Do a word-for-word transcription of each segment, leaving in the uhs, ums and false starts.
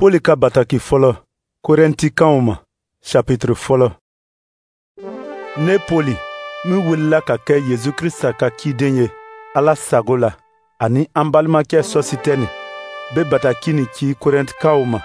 Poli ka bataki fɔlɔ Korɛntikaw ma, chapitre fɔlɔ. Ne Poli, min wulila ka kɛ Yesu Krista ka ciden ye Ala sago la, ani an balimakɛ Sɔsitɛni be bataki nin ci Korɛntikaw ma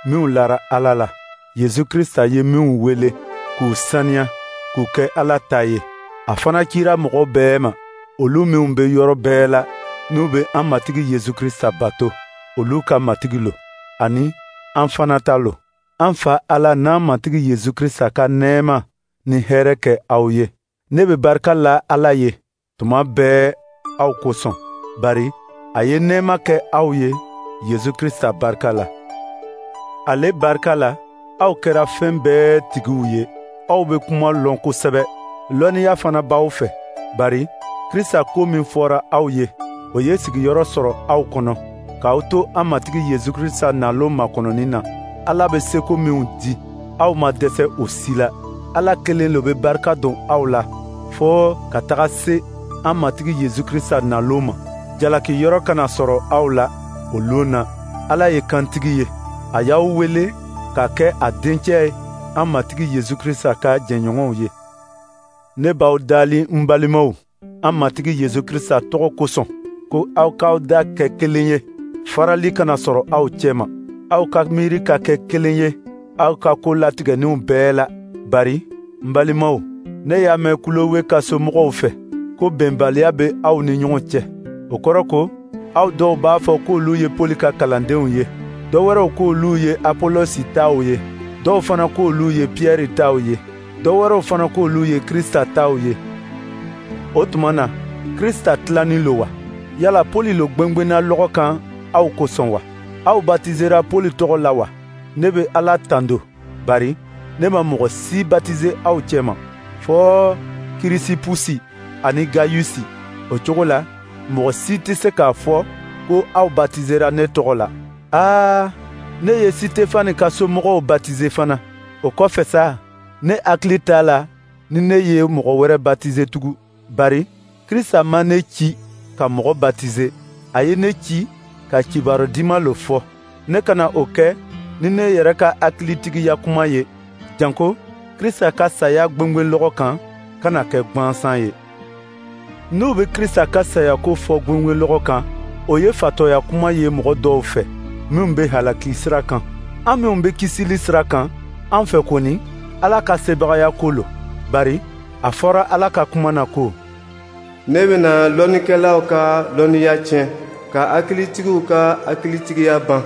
minw lara Ala la, Yesu Krista ye minw wele k'u saniya k'u kɛ Ala ta ye. A fana cira mɔgɔ bɛɛ ma, olu minw be yɔrɔ bɛɛ la, n'u be an Matigi Yesu Krista bato, olu ka Matigi lo, ani an fana ta lo. An Fa Ala n'an Matigi Yesu Krista ka nɛɛma ni hɛrɛ kɛ aw ye. Ne be barika la Ala ye tuma bɛɛ aw kosɔn, bari a ye nɛɛma kɛ aw ye Yesu Krista barika la. Ale barika la, aw kɛra fɛn bɛɛ tigiw ye. Aw be kuma lɔn kosɛbɛ, lɔnniya fana b'aw fɛ, bari Krista ko min fɔra aw ye, o ye sigiyɔrɔ sɔrɔ aw kɔnɔ, k'aw to an Matigi Yesu Krista nalon makɔnɔni na. Ala bɛ seko minw di, aw ma dɛsɛ o si la. Ala kelen lo bɛ barika don aw la fɔɔ ka taga se an Matigi Yesu Krista nalon ma. Jalaki yɔrɔ kana sɔrɔ aw la o lon na. Ala ye kantigi ye, a y'aw wele ka kɛ a dencɛ ye, an Matigi Yesu Krista ka jɛɲɔgɔnw ye. Ne b'aw dali, n balimaw, an Matigi Yesu Krista tɔgɔ kosɔn, ko aw k'aw da kɛ kelen ye, farali kana sɔrɔ aw cɛma. Aw ka miiri ka kɛ kelen ye aw ka ko latigɛninw bɛɛ la. Bari n balimaw, ne y'a mɛn Kulowe ka somɔgɔw fɛ ko bɛnbaliya bɛ aw ni ɲɔgɔn cɛ. O kɔrɔ ko aw dɔw b'a fɔ k'olu ye Poli ka kalandenw ye, dɔ wɛrɛw k'olu ye Apolosi taw ye, dɔw fana k'olu ye Piyɛri taw ye, dɔ wɛrɛw fana k'olu ye Krista taw ye. O tuma na, Krista tilanin lo wa? Yala Poli lo gwengwenna lɔgɔ kan aw kosɔn wa? Aw batizera Poli tɔgɔ la wa? Ne bɛ Ala tando, bari ne ma mɔgɔ si batize aw cɛma, fɔɔ Kirisipusi ani Gayusi. O cogo la, mɔgɔ si tɛ se k'a fɔ ko aw batizera ne tɔgɔ la. Aa, ne ye Sitefani ka somɔgɔw batize fana. O kɔfɛ sa, ne hakili t'a la ni ne ye mɔgɔ wɛrɛ batize tugun, bari Krista ma ne ci ka mɔgɔ batize, a ye ne ci ka kibaru diman lo fɔ. Ne kana o kɛ ni ne yɛrɛ ka hakilitigiya kuma ye, janko Krista ka saya gwengwenlɔgɔ kan kana kɛ gwansan ye. N'u bɛ Krista ka saya ko fɔ gwengwenlɔgɔ kan, o ye fatɔya kuma ye mɔgɔ dɔw fɛ minnu bɛ halaki sira kan. An minnu bɛ kisili sira kan, an fɛ kɔni, Ala ka sebagaya ko lo. Bari a fɔra Ala ka kuma na ko: Ne bɛna lɔnnikɛlaw ka lɔnniya tiɲɛ, ka hakilitigiw ka hakilitigiya ban.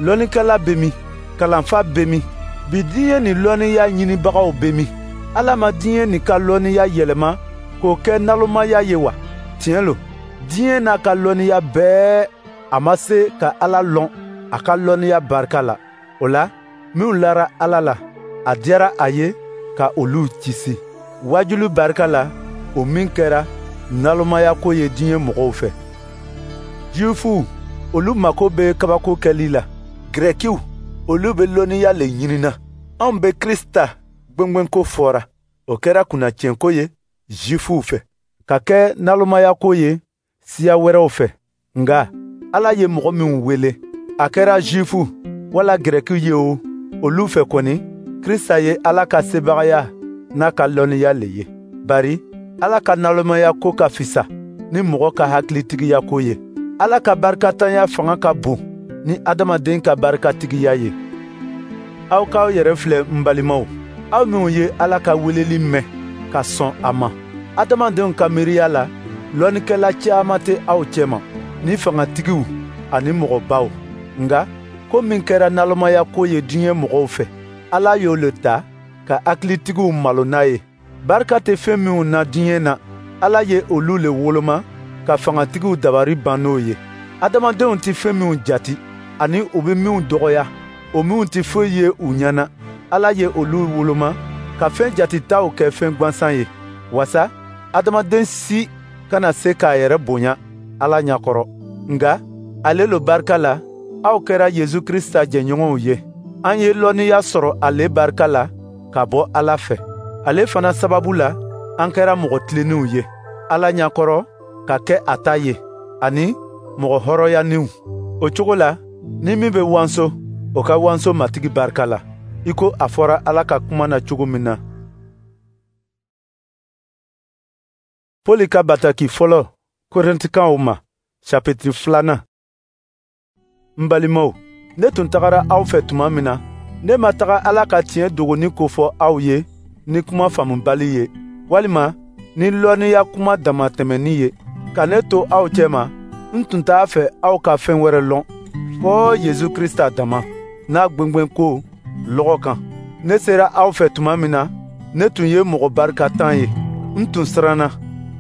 Lɔnnikɛla bɛ min? Kalanfa bɛ min? Bi diɲɛ nin lɔnniya ɲinibagaw bɛ min? Ala ma diɲɛ nin ka lɔnniya yɛlɛma k'o kɛ nalonmaya ye wa? Tiɲɛ lo, diɲɛ n'a ka lɔnniya bɛɛ, a ma se ka Ala lɔn a ka lɔnniya barika la. O la, minw lara Ala la, a diyara a ye ka olu kisi waajuli barika la, o min kɛra nalonmaya ko ye diɲɛ mɔgɔw fɛ. Jufuw, olu mako bɛ kabako kɛli la. Gɛrɛkiw, olu bɛ lɔnniya le ɲinina. Anw bɛ Krista gwengwenko fɔra, o kɛra kunnatiɲɛko ye Jufuw fɛ, ka kɛ nalonmayako ye siya wɛrɛw fɛ. Nka Ala ye mɔgɔ minw wele, a kɛra Jufu wala Gɛrɛkiw ye o, olu fɛ kɔni, Krista ye Ala ka sebagaya n'a ka lɔnniya le ye. Bari Ala ka nalonmaya ko ka fisa ni mɔgɔ ka hakilitigiya ko ye. Ala ka barikatanya fanga ka bon ni adamaden ka barikatigiya ye. Aw k'aw yɛrɛ filɛ, n balimaw, aw minw ye Ala ka weleli mɛn ka sɔn a ma. Adamadenw ka miiriya la, lɔnnikɛla caman tɛ aw cɛma, ni fangatigiw ani mɔgɔbaw. Nka ko min kɛra nalonmaya ko ye diɲɛ mɔgɔw fɛ, Ala y'o le ta ka hakilitigiw malo n'a ye. Barika tɛ fɛn minw na diɲɛ na, Ala ye olu le woloma ka fangatigiw dabari ban n'o ye. Adamadenw tɛ fɛn minw jati ani u bɛ minw dɔgɔya, o minw tɛ foyi ye u ɲɛ na, Ala ye olu woloma ka fɛn jatitaw kɛ fɛn gwansan ye, wasa adamaden si kana se k'a yɛrɛ bonya Ala ɲɛkɔrɔ. Nka ale lo barika la, aw kɛra Yesu Krista jɛɲɔgɔnw ye. An ye lɔnniya sɔrɔ ale barika la ka bɔ Ala fɛ. Ale fana sababu la, an kɛra mɔgɔ tilennenw ye Ala ɲɛkɔrɔ ka kɛ a ta ye, ani mɔgɔ hɔrɔnyaninw. O cogo la, Ni min bɛ wanso, o ka wanso Matigi barika la, i ko a fɔra Ala ka kuma na cogo min na. Poli ka bataki fɔlɔ Korintikaw ma, chapitre filanan. N balimaw, ne tun tagara aw fɛ tuma min na, ne ma taga Ala ka tiɲɛ dogoni ko fɔ aw ye ni kuma faamubali ye, walima ni lɔnniya kuma damatɛmɛni ye. Ka ne to aw cɛma, n tun t'a fɛ aw ka fɛn wɛrɛ lɔn, fɔɔ Yezu Krista dama n'a gwengwenko lɔgɔ kan. Ne sera aw fɛ tuma min na, ne tun ye mɔgɔ barikatan ye. N tun siranna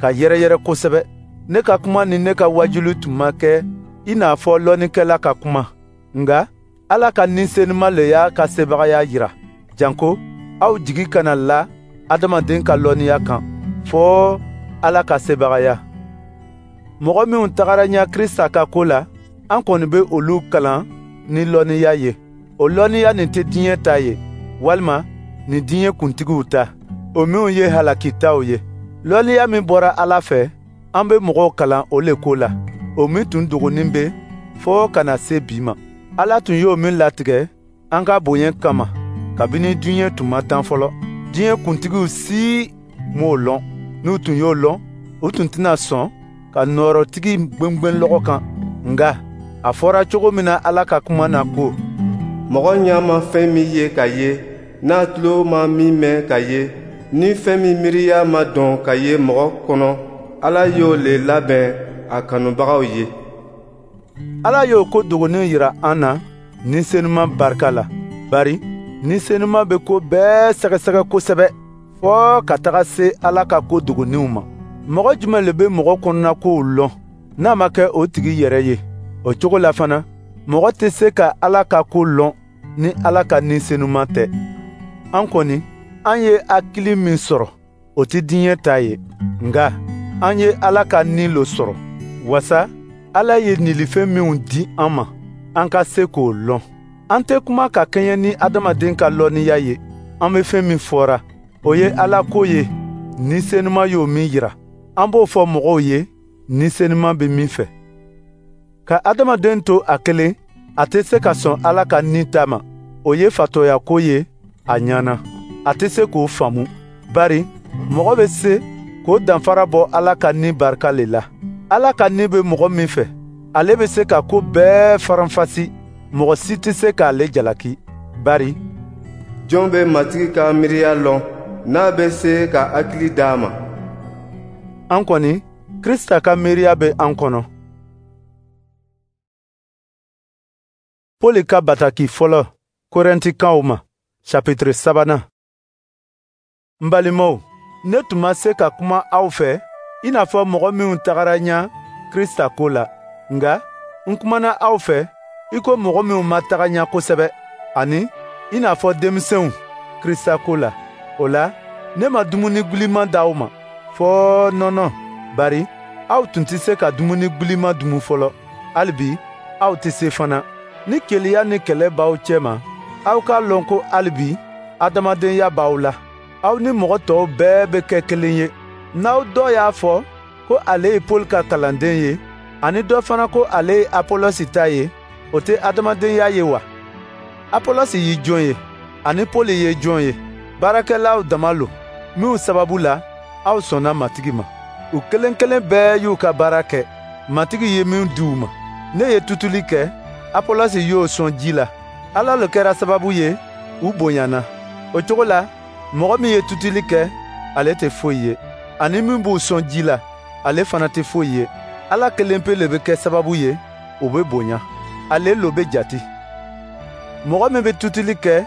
ka yɛrɛyɛrɛ kosɛbɛ. Ne ka kuma ni ne ka wajuli tun ma kɛ i n'a fɔ lɔnnikɛla ka kuma. Nka Ala ka Ni Senuma le y'a ka sebagaya yira, janko aw jigi kana la adamaden ka lɔnniya kan, fɔɔ Ala ka sebagaya. Mɔgɔ minw tagara ɲɛ Krista ka ko la, an kɔni bɛ olu kalan ni lɔnniya ye. O lɔnniya nin tɛ diɲɛ ta ye, walima nin diɲɛ kuntigiw ta, o minw ye halakitaw ye. Lɔnniya min bɔra Ala fɛ, an bɛ mɔgɔw kalan o le ko la, o min tun dogonin bɛ fɔɔ ka na se bi ma. Ala tun y'o min latigɛ an ka bonya kama kabini diɲɛ tun ma dan fɔlɔ. Diɲɛ kuntigiw si m'o lɔn. N'u tun y'o lɔn, u tun tɛna sɔn ka nɔɔrɔtigi gwengwen lɔgɔ kan. Nka a fɔra cogo min na Ala ka kuma na ko: Mɔgɔ ɲɛ ma fɛn min ye ka ye, n'a tulo ma min mɛn ka ye, ni fɛn min miiriya ma dɔn ka ye mɔgɔ kɔnɔ, Ala y'o le labɛn a kanubagaw ye. Ala y'o ko dogonin yira an na Ni Senuma barika la, bari Ni Senuma bɛ ko bɛɛ sɛgɛsɛgɛ kosɛbɛ, fɔɔ ka taga se Ala ka ko dogoninw ma. Mɔgɔ jumɛn le bɛ mɔgɔ kɔnɔnakow lɔn n'a ma kɛ o tigi yɛrɛ ye? O cogo la fana, mɔgɔ tɛ se ka Ala ka ko lɔn ni Ala ka Ni Senuma tɛ. An kɔni, an ye hakili min sɔrɔ, o tɛ diɲɛ ta ye, nka an ye Ala ka Ni lo sɔrɔ, wasa Ala ye nilifɛn minw di an ma, an ka se k'o lɔn. An tɛ kuma ka kɛɲɛ ni adamaden ka lɔnniya ye. An bɛ fɛn min fɔra, o ye Ala ko ye, Ni Senuma y'o min yira. An b'o fɔ mɔgɔw ye, Ni Senuma bɛ min fɛ. Ka adamaden to a kelen, a tɛ se ka sɔn Ala ka Ni ta ma. O ye fatɔya ko ye a ɲɛ na. A tɛ se k'o faamu, bari mɔgɔ bɛ se k'o danfara bɔ Ala ka Ni barika le la. Ala ka Ni bɛ mɔgɔ min fɛ, ale bɛ se ka ko bɛɛ faranfasi. Mɔgɔ si tɛ se k'ale jalaki, bari jɔn bɛ Matigi ka miiriya lɔn, n'a bɛ se ka hakili d'a ma? An kɔni, Krista ka miiriya bɛ an kɔnɔ. Poli ka bataki fɔlɔ Korintikaw ma, chapitre sabanan. N balimaw, ne tun ma se ka kuma aw fɛ i n'a fɔ mɔgɔ minw tagara ɲɛ Krista ko la, nka n kumana aw fɛ i ko mɔgɔ minw ma taga ɲɛ kosɛbɛ, ani i n'a fɔ denmisɛnw Krista ko la. O la, ne ma dumuni giliman d'aw ma, fɔɔ nɔnɔ, bari aw tun tɛ se ka dumuni giliman dumu fɔlɔ. Hali bi aw tɛ se fana. Ni keleya ni kɛlɛ b'aw cɛma, aw k'a lɔn ko hali bi adamadenya b'aw la. Aw ni mɔgɔ tɔw bɛɛ bɛ kɛ kelen ye. N'aw dɔ y'a fɔ ko ale ye Poli ka kalanden ye, ani dɔ fana ko ale ye Apɔlɔsi ta ye, o tɛ adamadenya ye wa? Apɔlɔsi ye jɔn ye, ani Poli ye jɔn ye? Baarakɛlaw dama lo, minw sababu la aw sɔnna Matigi ma. U kelen kelen bɛɛ y'u ka baara kɛ, Matigi ye min di u ma. Ne ye tutuli kɛ, Apɔlɔsi y'o sɔn ji la. Ala lo kɛra sababu ye, u bonyana. O cogo la, mɔgɔ min ye tutuli kɛ, ale tɛ foyi ye, ani min b'u sɔn ji la, ale fana tɛ foyi ye. Ala kelen pe le bɛ kɛ sababu ye, o bɛ bonya. Ale lo bɛ jate. Mɔgɔ min bɛ tutuli kɛ,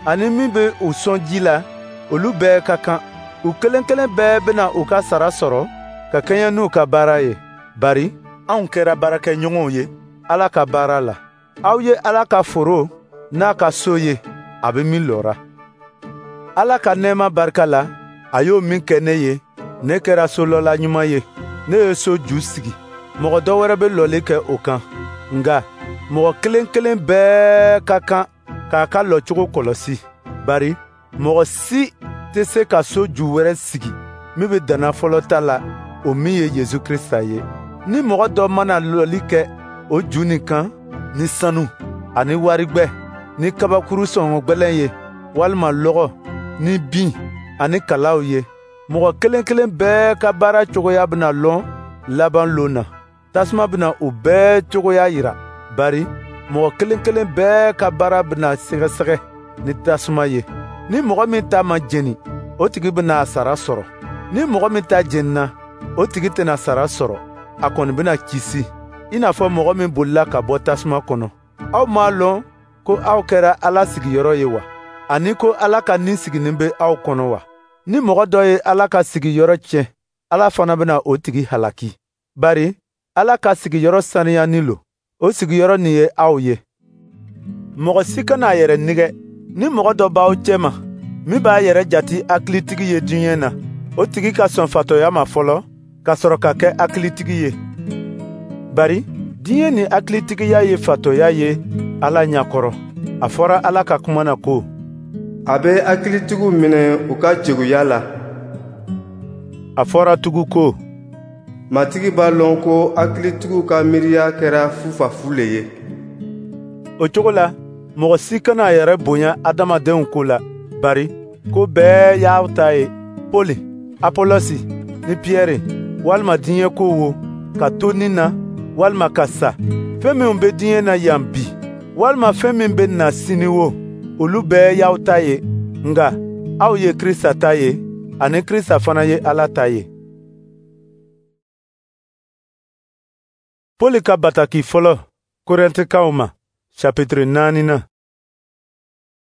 ani min bɛ u sɔn ji la, olu bɛɛ ka kan. U kelen kelen bɛɛ bɛna u ka sara sɔrɔ ka kɛɲɛ n'u ka baara ye. Bari anw kɛra baarakɛɲɔgɔnw ye Ala ka baara la. Aw ye Ala ka foro n'a ka so ye, a bɛ min lɔra. Ala ka nɛɛma barika la, a y'o min kɛ ne ye, ne kɛra solɔla ɲuman ye. Ne ye so ju sigi, mɔgɔ dɔ wɛrɛ bɛ lɔli kɛ o kan. Nka mɔgɔ kelen kelen bɛɛ ka kan k'a ka lɔcogo kɔlɔsi, bari mɔgɔ si tɛ se ka so ju wɛrɛ sigi min bɛ danna fɔlɔ ta la, o min ye Yezu Krista ye. Ni mɔgɔ dɔ mana lɔli kɛ o ju nin kan ni sanu, ani warigwɛ, ni kabakuru sɔngɔ gwɛlɛn ye, walima lɔgɔ, ni bin, ani kalaw ye. Mɔgɔ kelen kelen bɛɛ ka baara cogoya bɛna lɔn laban lon na. Tasuma bɛna u bɛɛ cogoya yira, bari mɔgɔ kelen kelen bɛɛ ka baara bɛna sɛgɛsɛgɛ ni tasuma ye. Ni mɔgɔ min ta ma jeni, o tigi bɛna a sara sɔrɔ. Ni mɔgɔ min ta jenina, o tigi tɛna sara sɔrɔ, a kɔni bɛna kisi, i n'a fɔ mɔgɔ min bolila ka bɔ tasuma kɔnɔ. Aw m'a lɔn ko aw kɛra Ala sigiyɔrɔ ye wa? Ani ko Ala ka Ni siginin bɛ aw kɔnɔ wa? Ni mɔgɔ dɔ ye Ala ka sigiyɔrɔ tiɲɛ, Ala fana bɛna o tigi halaki. Bari Ala ka sigiyɔrɔ saniyani lo, o sigiyɔrɔ nin ye aw ye. Mɔgɔ si kana a yɛrɛ nɛgɛ. Ni mɔgɔ dɔ b'aw cɛma min b'a yɛrɛ jati hakilitigi ye diɲɛ na, o tigi ka sɔn fatɔya ma fɔlɔ, ka sɔrɔ ka kɛ hakilitigi ye. Bari diɲɛ ni hakilitigiya ye fatɔya ye Ala ɲɛkɔrɔ. A fɔra Ala ka kuma na ko: A bɛ hakilitigiw minɛ u ka keguya la. A fɔra tugun ko: Matigi b'a lɔn ko hakilitigiw ka miiriya kɛra fufafu le ye. O cogo la, mɔgɔ si kana a yɛrɛ bonya adamadenw ko la, bari ko bɛɛ y'aw ta ye. Poli, Apolosi ni Piyɛri, walima diɲɛ ko wo, ka to ni na, walima ka sa, fɛn minw bɛ diɲɛ na yan bi, walima fɛn min bɛ na sini wo, olu bɛɛ y'aw ta ye. Nka aw ye Krista ta ye, ani Krista fana ye Ala ta ye. Poli ka bataki fɔlɔ Korɛntikaw ma, chapitre naani na.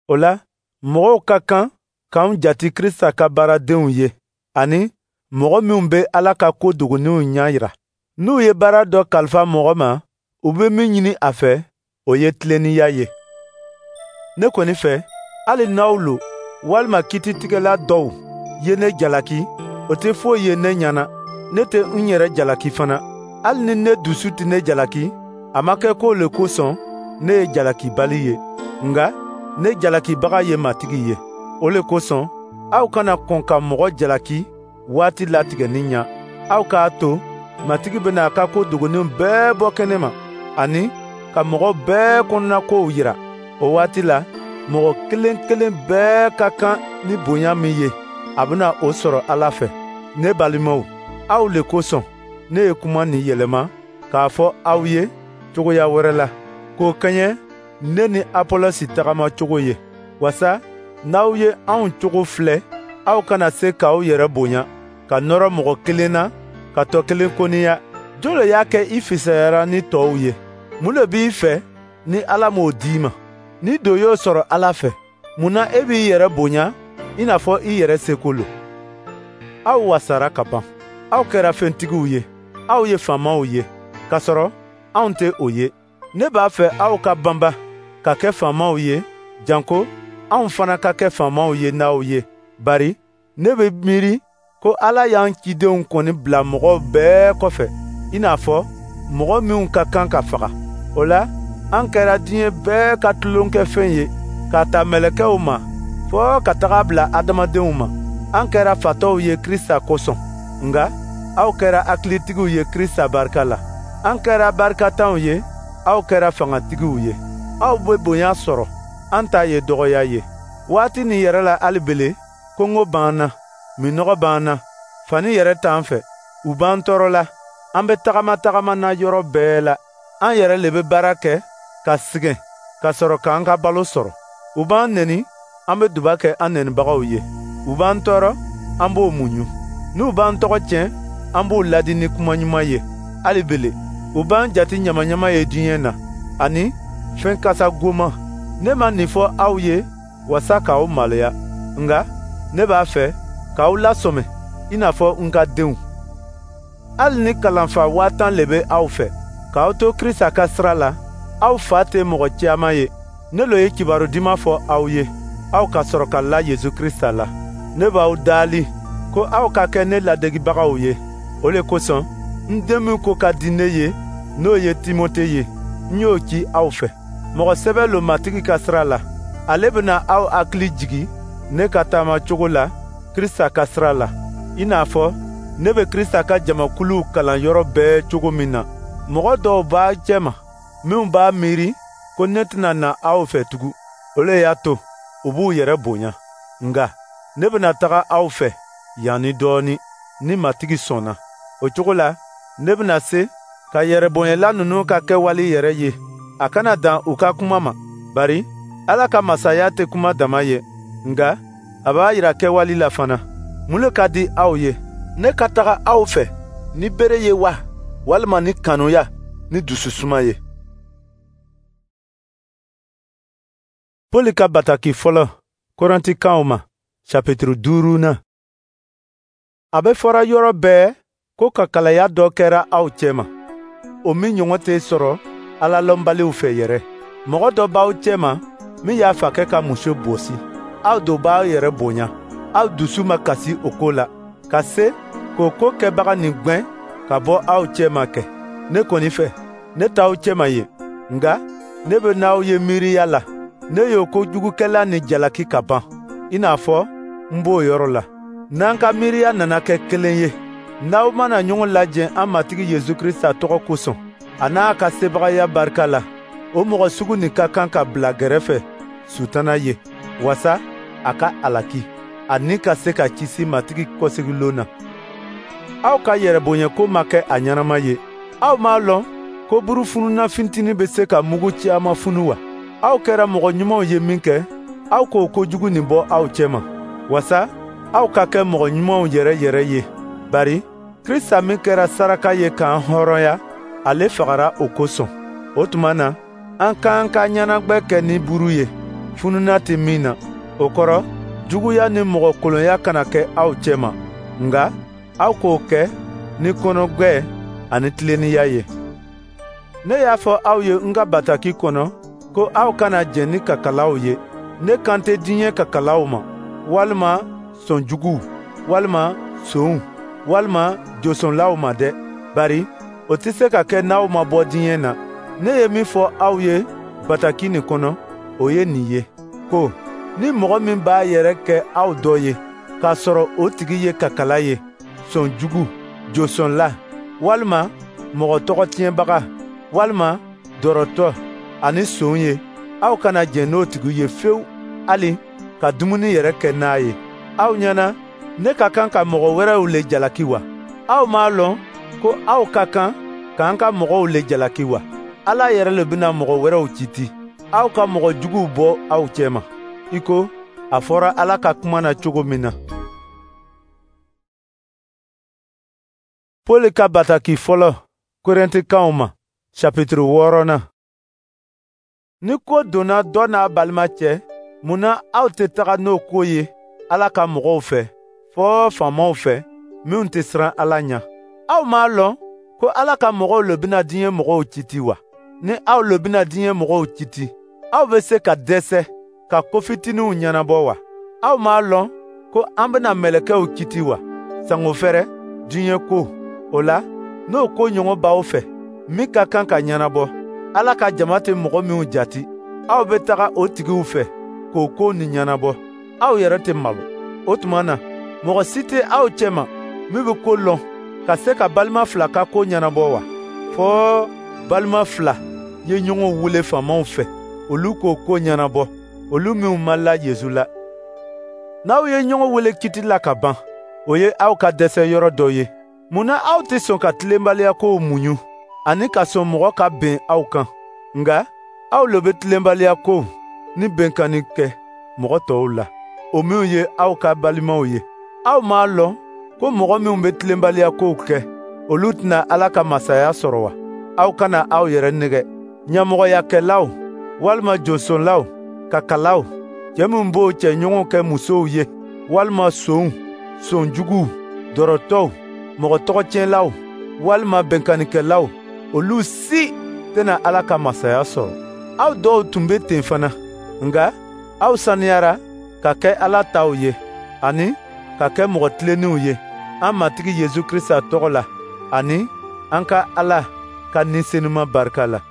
O la, mɔgɔw ka kan k'anw jati Krista ka baaradenw ye, ani mɔgɔ minw bɛ Ala ka ko dogoninw ɲɛ yira. N'u ye baara dɔ kalifa mɔgɔ ma, u bɛ min ɲini a fɛ, o ye tilennenya ye. Ne kɔni fɛ, hali n'aw lo walima kititigɛla dɔw ye ne jalaki, o tɛ foyi ye ne ɲɛna. Ne tɛ n yɛrɛ jalaki fana. Hali ni ne dusu tɛ ne jalaki, a ma kɛ k'o le kosɔn ne ye jalakibali ye. Nka ne jalakibaga ye Matigi ye. O le kosɔn, aw kana kɔn ka mɔgɔ jalaki waati latigɛni ɲa. Aw k'a to Matigi bɛna a ka ko dogoninw bɛɛ bɔ kɛnɛ ma, ani ka mɔgɔ bɛɛ kɔnɔnakow yira. O waati la, mɔgɔ kelen kelen bɛɛ ka kan ni bonya min ye, a bɛna o sɔrɔ Ala fɛ. Ne balimaw, aw le kosɔn ne ye kuma nin yɛlɛma k'a fɔ aw ye cogoya wɛrɛ la, k'o kɛɲɛ ne ni Apolosi tagama cogo ye, wasa n'aw ye anw cogo filɛ, aw kana se k'aw yɛrɛ bonya, ka nɔrɔ mɔgɔ kelen na, ka tɔ kelen koniya. Jɔn le y'a kɛ i fisayara ni tɔw ye? Mun le b'i fɛ ni Ala m'o d'i ma? Ni do y'o sɔrɔ Ala fɛ, mun na e b'i yɛrɛ bonya i n'a fɔ i yɛrɛ seko lo? Aw wasara ka ban. Aw kɛra fɛntigiw ye, aw ye faamaw ye, kasɔrɔ anw tɛ o ye. Ne b'a fɛ aw ka banba ka kɛ faamaw ye, janko anw fana ka kɛ faamaw ye n'aw ye. Bari ne bɛ miiri ko Ala y'an cidenw kɔni bila mɔgɔw bɛɛ kɔfɛ, i n'a fɔ mɔgɔ minw ka kan ka faga. O la, an kɛra diɲɛ bɛɛ ka tulonkɛfɛn ye, k'a ta mɛlɛkɛw ma fɔɔ ka taga bila adamadenw ma. An kɛra fatɔw ye Krista kosɔn, nka aw kɛra hakilitigiw ye Krista barika la. An kɛra barikatanw ye, aw kɛra fangatigiw ye. Aw bɛ bonya sɔrɔ, an ta ye dɔgɔya ye. Waati nin yɛrɛ la hali bele, kɔngɔ b'an na, minnɔgɔ b'an na, fani yɛrɛ t'an fɛ, u b'an tɔɔrɔ la, an bɛ tagama tagama na yɔrɔ bɛɛ la. An yɛrɛ le bɛ baara kɛ ka sɛgɛn ka sɔrɔ k'an ka balo sɔrɔ. U b'an neni, an bɛ duba kɛ an nenibagaw ye. U b'an tɔɔrɔ, an b'o muɲu. N'u b'an tɔgɔ tiɲɛ, an b'u ladi ni kuma ɲuman ye. Hali bele, u b'an jate ɲamaɲama ye diɲɛ na, ani fɛn kasa goman. Ne ma nin fɔ aw ye wasa k'aw maloya, nka ne b'a fɛ k'aw lasɔmɛ i n'a fɔ n ka denw. Hali ni kalanfa waa tan le bɛ aw fɛ, k'aw to Krista ka sira la, aw fa tɛ mɔgɔ caman ye. Ne lo ye kibaru duman fɔ aw ye, aw ka sɔrɔ ka la Yesu Krista la. Ne b'aw daali ko aw ka kɛ ne ladegibagaw ye. O le kosɔn, n den min ko ka di ne ye, n'o ye Timote ye, n y'o ci aw fɛ. Mɔgɔ sɛbɛ lo Matigi ka sira la. Ale bɛna aw hakili jigi ne ka taama cogo la Krista ka sira la, i n'a fɔ ne bɛ Krista ka jamakuluw kalan yɔrɔ bɛɛ cogo min na. Mɔgɔ dɔw b'a cɛma minw b'a miiri ko ne tɛna na aw fɛ tugun. O le y'a to u b'u yɛrɛ bonya. Nka ne bɛna taga aw fɛ yan ni dɔɔnin, ni Matigi sɔnna. O cogo la, ne bɛna se ka yɛrɛbonyala ninnu ka kɛwale yɛrɛ ye. A kana dan u ka kuma ma, bari Ala ka masaya tɛ kuma dama ye, nka a b'a yira kɛwale la fana. Mun le ka di aw ye? Ne ka taga aw fɛ ni bere ye wa, walima ni kanuya ni dususuma ye? Pɔli ka bataki fɔlɔ Korɛntikaw ma, chapitre duurunan. A bɛ fɔra yɔrɔ bɛɛ ko kakalaya dɔ kɛra aw cɛma, o min ɲɔgɔn tɛ sɔrɔ Ala lɔnbaliw fɛ yɛrɛ. Mɔgɔ dɔ b'aw cɛma min y'a fakɛ ka muso bosi. Aw do b'aw yɛrɛ bonya. Aw dusu ma kasi o ko la, ka se k'o ko kɛbaga nin gwɛn ka bɔ aw cɛma kɛ. Ne kɔni fɛ, ne t'aw cɛma yen, nka ne bɛ n'aw ye miiriya la. Ne y'o kojugukɛla nin jalaki ka ban, i n'a fɔ n b'o yɔrɔ la. N'an ka miiriya nana kɛ kelen ye, n'aw mana ɲɔgɔn lajɛ an Matigi Yesu Krisita tɔgɔ kosɔn, a n'a ka sebagaya barika la, o mɔgɔ sugu nin ka kan ka bila gɛrɛfɛ Sutana ye, wasa a ka alaki, ani ka se ka kisi Matigi kɔsegilon na. Aw ka yɛrɛbonyako ma kɛ a ɲɛnama ye. Aw m'a lɔn ko buru fununa fitinin bɛ se ka mugu caman funu wa? Aw kɛra mɔgɔ ɲumanw ye minkɛ, aw k'o kojugu nin bɔ aw cɛma, wasa aw ka kɛ mɔgɔ ɲumanw yɛrɛ yɛrɛ ye. Bari Krisita min kɛra saraka ye k'an hɔrɔnya, ale fagara o kosɔn. O tuma na, an k'an ka ɲɛnagwɛ kɛ ni buru ye, fununa tɛ min na. O kɔrɔ, juguya ni mɔgɔ kolonya kana kɛ aw cɛma, nka aw k'o kɛ ni kɔnɔgwɛ ani tilennenya ye. Ne y'a fɔ aw ye n ka bataki kɔnɔ ko aw kana jɛn ni kakalaw ye. Ne kan tɛ diɲɛ kakalaw ma, walima sɔnjuguw, walima sonw, walima josɔnlaw ma dɛ. Bari o tɛ se ka kɛ n'aw ma bɔ diɲɛ na. Ne ye min fɔ aw ye bataki nin kɔnɔ, o ye nin ye, ko ni mɔgɔ min b'a yɛrɛ kɛ aw dɔ ye, k'a sɔrɔ o tigi ye kakala ye, sɔnjugu, josɔnla, walima mɔgɔ tɔgɔ tiɲɛbaga, walima dɔrɔtɔ ani son ye, aw kana jɛn n'o tigi ye fewu, hali ka dumuni yɛrɛ kɛ n'a ye. Aw ɲɛna, ne ka kan ka mɔgɔ wɛrɛw le jalaki wa? Aw m'a lɔn ko aw ka kan k'an ka mɔgɔw le jalaki wa? Ala yɛrɛ le bɛna mɔgɔ wɛrɛw citi. Aw ka mɔgɔ juguw bɔ aw cɛma, i ko a fɔra Ala ka kuma na cogo min na. Pɔli ka bataki fɔlɔ Korɛntikaw ma, chapitre wɔɔrɔnan. Ni ko donna dɔ n'a balima cɛ, mun na aw tɛ taga n'o ko ye Ala ka mɔgɔw fɛ, fɔɔ faamaw fɛ, minnu tɛ siran Ala ɲɛ? Aw m'a lɔn ko Ala ka mɔgɔw le bɛna diɲɛ mɔgɔw citi wa? Ni aw le bɛna diɲɛ mɔgɔw citi, aw bɛ se ka dɛsɛ ka ko fitininw ɲɛnabɔ wa? Aw m'a lɔn ko an bɛna mɛlɛkɛw citi wa? Sango fɛrɛ diɲɛ ko. O la, n'o ko ɲɔgɔn b'aw fɛ, min ka kan ka ɲɛnabɔ, Ala ka jama tɛ mɔgɔ minw jati, aw bɛ taga o tigiw fɛ k'o ko nin ɲɛnabɔ. Aw yɛrɛ tɛ malo. O tuma na, mɔgɔ si tɛ aw cɛma min bɛ ko lɔn ka se ka balima fila ka ko ɲɛnabɔ wa? Fɔɔ balima fila ye ɲɔgɔn wele faamaw fɛ, olu k'o ko ɲɛnabɔ, olu minw ma la Yesu la. N'aw ye ɲɔgɔn wele kiti la ka ban, o ye aw ka dɛsɛ yɔrɔ dɔ ye. Mun na aw tɛ sɔn ka tilenbaliya kow muɲu ani ka sɔn mɔgɔ ka ben aw kan? Nka aw le bɛ tilenbaliya kow ni benkanni kɛ mɔgɔ tɔw la, o minw ye aw ka balimaw ye. Aw m'a lɔn ko mɔgɔ minw bɛ tilenbaliya kow kɛ, olu tɛna Ala ka masaya sɔrɔ wa? Aw kana aw yɛrɛ nɛgɛ. Ɲɛmɔgɔyakɛlaw walima josɔnlaw, kakalaw, cɛ minw b'o cɛɲɔgɔnw kɛ musow ye, walima sonw, sonjuguw, dɔrɔtɔw, mɔgɔ tɔgɔtiɲɛlaw, walima benkannikɛlaw, olu si tɛna Ala ka masaya sɔrɔ. Aw dɔw tun bɛ ten fana, nka aw saniyara ka kɛ Ala taw ye, ani ka kɛ mɔgɔ tilennenw ye an Matigi Yesu Krisita tɔgɔ la, ani an ka Ala ka Ni Senuma barika la.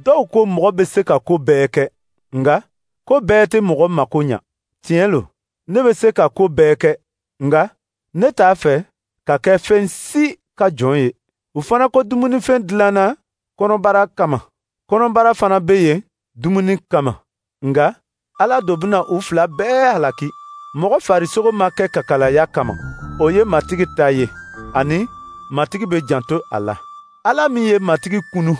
Dɔw ko mɔgɔ bɛ se ka ko bɛɛ kɛ, nka ko bɛɛ tɛ mɔgɔ mako ɲa. Tiɲɛ lo, ne bɛ se ka ko bɛɛ kɛ, nka ne t'a fɛ ka kɛ fɛn si ka jɔn ye. U fana ko dumunifɛn dilanna kɔnɔbara kama. Kɔnɔbara fana bɛ yen dumuni kama, nka Ala do bɛna u fila bɛɛ halaki. Mɔgɔ farisogo ma kɛ kakalaya kama, o ye Matigi ta ye, ani Matigi bɛ janto a la. Ala min ye Matigi kunu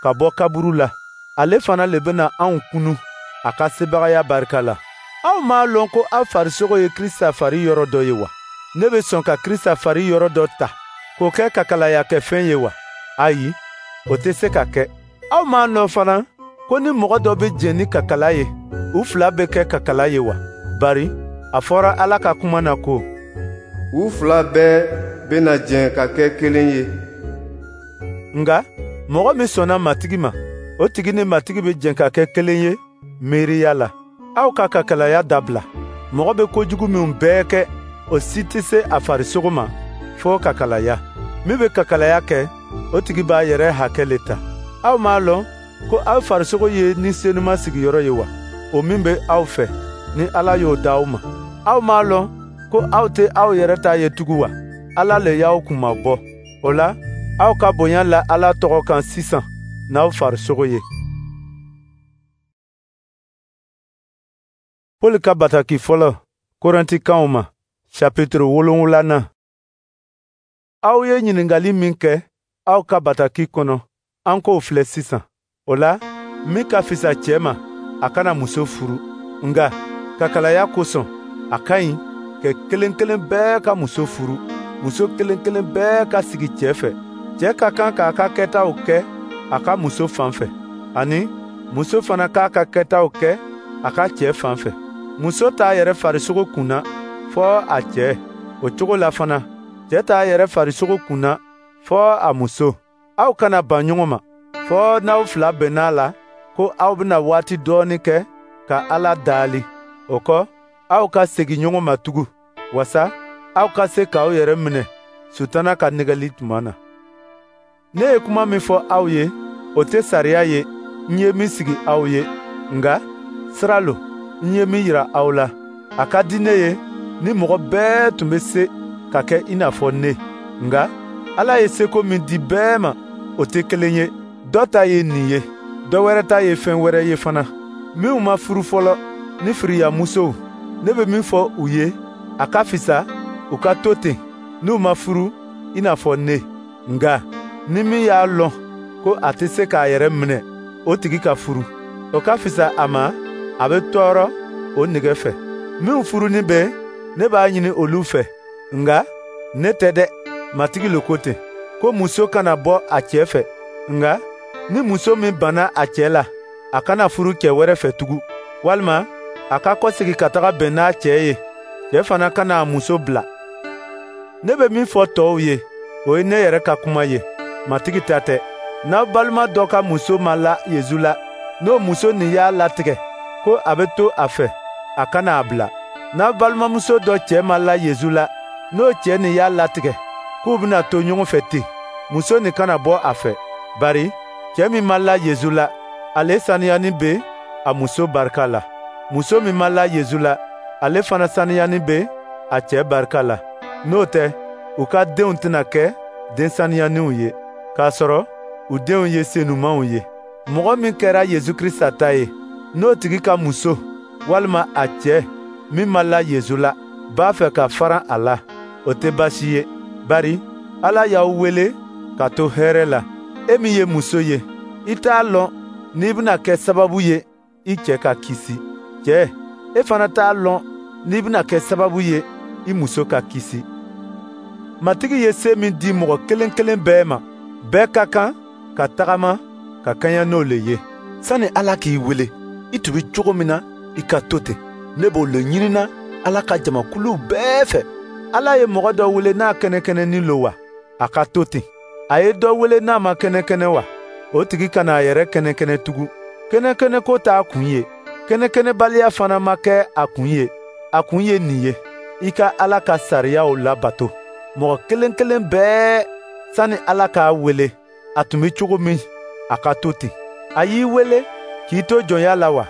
ka bɔ kaburu la, ale fana le bɛna anw kunu a ka sebagaya barika la. Aw m'a lɔn ko aw farisogo ye Krista fari yɔrɔ dɔ ye wa? Ne bɛ sɔn ka Krista fari yɔrɔ dɔ ta k'o kɛ kakalayakɛfɛn ye wa? Ayi, o tɛ se ka kɛ. Aw m'a lɔn fana ko ni mɔgɔ dɔ bɛ jɛn ni kakala ye, u fila bɛ kɛ kakala ye wa? Bari a fɔra Ala ka kuma na ko: U fila bɛɛ bɛna jɛn ka kɛ kelen ye. Nka mɔgɔ min sɔnna Matigi ma, o tigi ni Matigi bɛ jɛn ka kɛ kelen ye miiriya la. Aw ka kakalaya dabila. Mɔgɔ bɛ kojugu minw bɛɛ kɛ, o si tɛ se a farisogo ma fo kakalaya. Min bɛ kakalaya kɛ, o tigi b'a yɛrɛ hakɛ le ta. Aw m'a lɔn ko aw farisogo ye Ni Senuma sigiyɔrɔ ye wa? O min bɛ aw fɛ, ni Ala y'o d'aw ma. Aw m'a lɔn ko aw tɛ aw yɛrɛ ta ye tugun wa? Ala le y'aw kunmabɔ. O la, aw ka bonya la Ala tɔgɔ kan sisan n'aw farisogo ye. Pɔli ka bataki fɔlɔ Korɛntikanw ma, chapitre wolonwulanan. Aw ye ɲininkali min kɛ aw ka bataki kɔnɔ, an k'o filɛ sisan. O la, min ka fisa cɛ ma, a kana muso furu. Nka kakalaya kosɔn, a ka ɲi kɛ kelen kelen bɛɛ ka muso furu, muso kelen kelen bɛɛ ka sigi cɛ fɛ. Cɛ ka kan k'a ka kɛtaw kɛ a ka muso fan fɛ, ani muso fana k'a ka kɛtaw kɛ a ka cɛ fan fɛ. Muso t'a yɛrɛ farisogo kunna fɔ a cɛ. O cogo la fana, cɛ t'a yɛrɛ farisogo kunna fɔ a muso. Aw kana ban ɲɔgɔn ma, fɔ n'aw fila bɛnna la ko aw bɛna waati dɔɔnin kɛ ka Ala daali. O kɔ, aw ka segin ɲɔgɔn ma tugun, wasa aw ka se k'aw yɛrɛ minɛ Sutana ka nɛgɛli tuma na. Ne ye kuma min fɔ aw ye, o tɛ sariya ye n ye min sigi aw ye, nka sira lo n ye min yira aw la. A ka di ne ye ni mɔgɔ bɛɛ tun bɛ se ka kɛ i n'a fɔ ne, nka Ala ye seko min di bɛɛ ma, o tɛ kelen ye. Dɔ ta ye nin ye, dɔ wɛrɛ ta ye fɛn wɛrɛ ye fana. Minnu ma furu fɔlɔ ni firiyamusow, ne bɛ min fɔ u ye, a ka fisa u ka to ten n'u ma furu i n'a fɔ ne. Nka ni min y'a lɔn ko a tɛ se k'a yɛrɛ minɛ, o tigi ka furu. O ka fisa a ma, a bɛ tɔɔrɔ o nege fɛ. Minnu furunin bɛ, ne b'a ɲini olu fɛ, nka ne tɛ dɛ, Matigi le ko ten, ko muso kana bɔ a cɛ fɛ. Nka ni muso min banna a cɛ la, a kana furu cɛ wɛrɛ fɛ tugun, walima a ka kɔsegin ka taga bɛn n'a cɛ ye. Cɛ fana kana a muso bila. Ne bɛ min fɔ tɔw ye, o ye ne yɛrɛ ka kuma ye, Matigi ta tɛ. N'aw balima dɔ ka muso ma la Yesu la, n'o muso nin y'a latigɛ ko a bɛ to a fɛ, a kana a bila. N'aw balimamuso dɔ cɛ ma la Yesu la, n'o cɛ nin y'a latigɛ k'u bɛna to ɲɔgɔn fɛ ten, muso nin kana bɔ a fɛ. Bari cɛ min ma la Yesu la, ale saniyani bɛ a muso barika la. Muso min ma la Yesu la, ale fana saniyani bɛ a cɛ barika la. N'o tɛ, u ka denw tɛna kɛ den saniyaninw ye, k'a sɔrɔ u denw ye senumanw ye. Mɔgɔ min kɛra Yesu Krista ta ye, n'o tigi ka muso walima a cɛ min ma la Yesu la b'a fɛ ka faran a la, o tɛ baasi ye. Bari Ala y'aw wele ka to hɛrɛ la. E min ye muso ye, i t'a lɔn n'i bɛna kɛ sababu ye i cɛ ka kisi. Cɛ, e fana t'a lɔn n'i bɛna kɛ sababu ye i muso ka kisi. Matigi ye se min di mɔgɔ kelen kelen bɛɛ ma, bɛɛ ka kan ka tagama ka kɛɲɛ n'o le ye. Sani Ala k'i wele, i tun bɛ cogo min na, i ka to ten. Ne b'o le ɲinina Ala ka jamakuluw bɛɛ fɛ. Ala ye mɔgɔ dɔ wele n'a kɛnɛkɛnɛnin lo wa? A ka to ten. A ye dɔ wele n'a ma kɛnɛkɛnɛ wa? O tigi kana a yɛrɛ kɛnɛkɛnɛ tugun. Kɛnɛkɛnɛko t'a kun ye. Kɛnɛkɛnɛbaliya fana ma kɛ a kun ye. A kun ye nin ye: i ka Ala ka sariyaw labato. Mɔgɔ kelen kelen bɛɛ, sani Ala k'a wele, a tun bɛ cogo min, a ka to ten. A y'i wele k'i to jɔnya la wa?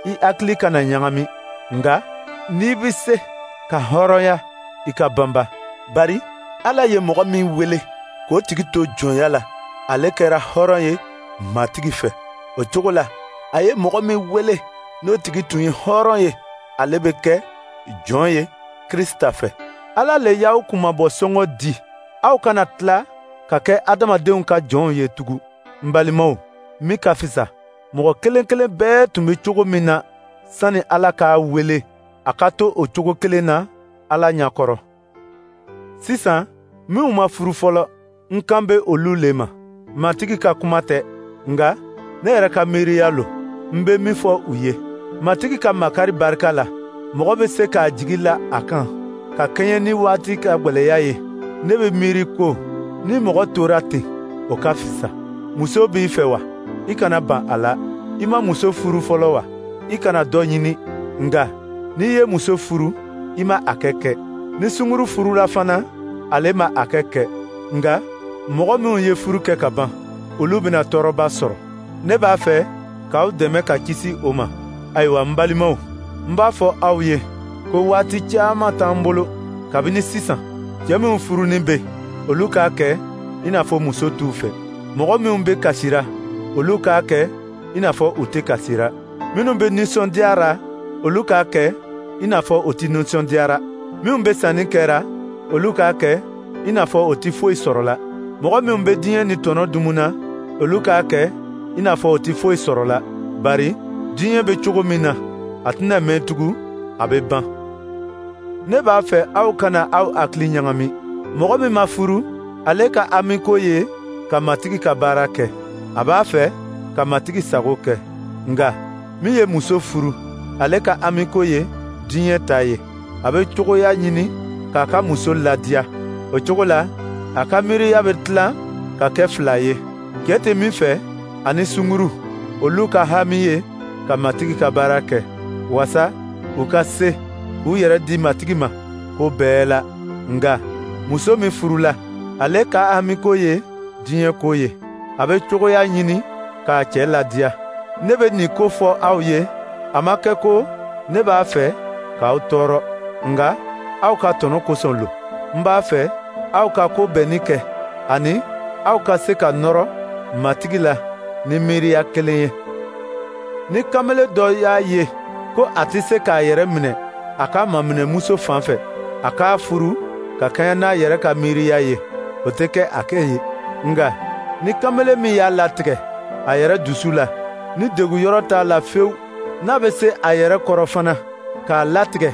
I hakili kana ɲagami. Nka n'i bɛ se ka hɔrɔnya, i ka banba. Bari Ala ye mɔgɔ min wele k'o tigi to jɔnya la, ale kɛra hɔrɔn ye Matigi fɛ. O cogo la, A ye mɔgɔ min wele, n'o tigi tun ye hɔrɔn ye, ale bɛ kɛ jɔn ye Krisita fɛ. Ala le y'aw kunmabɔ sɔngɔ di. Aw kana tila ka kɛ adamadenw ka jɔnw ye tugun. N balimaw, min ka fisa, mɔgɔ kelen kelen bɛɛ tun bɛ cogo min na sani Ala k'a wele, a ka to o cogo kelen na Ala ɲɛkɔrɔ. Sisan, minnu ma furu fɔlɔ, n kan bɛ olu le ma. Matigi ka kuma tɛ, nka ne yɛrɛ ka miiriya lo, n bɛ min fɔ u ye. Matigi ka makari barika la, mɔgɔ bɛ se k'a jigi la a kan, ka kɛɲɛ ni waati ka gwɛlɛya ye. Ne bɛ miiri ko ni mɔgɔ tora ten, o ka fisa. Muso b'i fɛ wa? I kana ban a la. I ma muso furu fɔlɔ wa? I kana dɔ ɲini. Nka n'i ye muso furu, i ma a kɛ kɛ. Ni sunguru furula fana, ale ma a kɛ kɛ. Nka mɔgɔ minnu ye furu kɛ ka ban, olu bɛna tɔɔrɔba sɔrɔ. Ne b'a fɛ k'aw dɛmɛ ka kisi o ma. Ayiwa n balimaw, n b'a fɔ aw ye ko waati caman t'an bolo. Kabini sisan, cɛ minnu furunin bɛ, olu k'a kɛ i n'a fɔ muso t'u fɛ. Mɔgɔ minnu bɛ kasira, olu k'a kɛ i n'a fɔ u tɛ kasira. Minnu bɛ nisɔndiyara, olu k'a kɛ i n'a fɔ u tɛ nisɔndiyara. Minnu bɛ sanni kɛra, olu k'a kɛ i n'a fɔ u tɛ foyi sɔrɔla. Mɔgɔ minnu bɛ diɲɛ ni tɔnɔ dumuna, olu k'a kɛ i n'a fɔ u tɛ foyi sɔrɔla. Bari diɲɛ bɛ cogo min na, a tɛna mɛn tugun, a bɛ ban. Ne b'a fɛ aw kana aw hakili ɲagami. Mɔgɔ min ma furu, ale ka hamiko ye ka Matigi ka baara kɛ. A b'a fɛ ka Matigi sago kɛ. Nka min ye muso furu, ale ka hamiko ye diɲɛ ta ye. A bɛ cogoya ɲini k'a ka muso ladiya. O cogo la, a ka miiriya bɛ tilan ka kɛ fila ye. Cɛ tɛ min fɛ ani sunguru, olu ka hami ye ka Matigi ka baara kɛ, wasa u ka se k'u yɛrɛ di Matigi ma ko bɛɛ la. Nka muso min furula, ale ka hamiko ye diɲɛ ko ye. A bɛ cogoya ɲini k'a cɛ ladiya. Ne bɛ nin ko fɔ aw ye, a ma kɛ ko ne b'a fɛ k'aw tɔɔrɔ, nka aw ka tɔnɔ kosɔn lo. N b'a fɛ aw ka ko bɛnni kɛ, ani aw ka se ka nɔrɔ Matigi la ni miiriya kelen ye. Ni kamalen dɔ y'a ye ko a tɛ se k'a yɛrɛ minɛ a ka maminɛmuso fan fɛ, a k'a furu ka kɛɲɛ n'a yɛrɛ ka miiriya ye, o tɛ kɛ a kɛ ye. Nka ni kamalen min y'a latigɛ a yɛrɛ dusu la, ni degun yɔrɔ t'a la fewu, n'a bɛ se a yɛrɛ kɔrɔ fana k'a latigɛ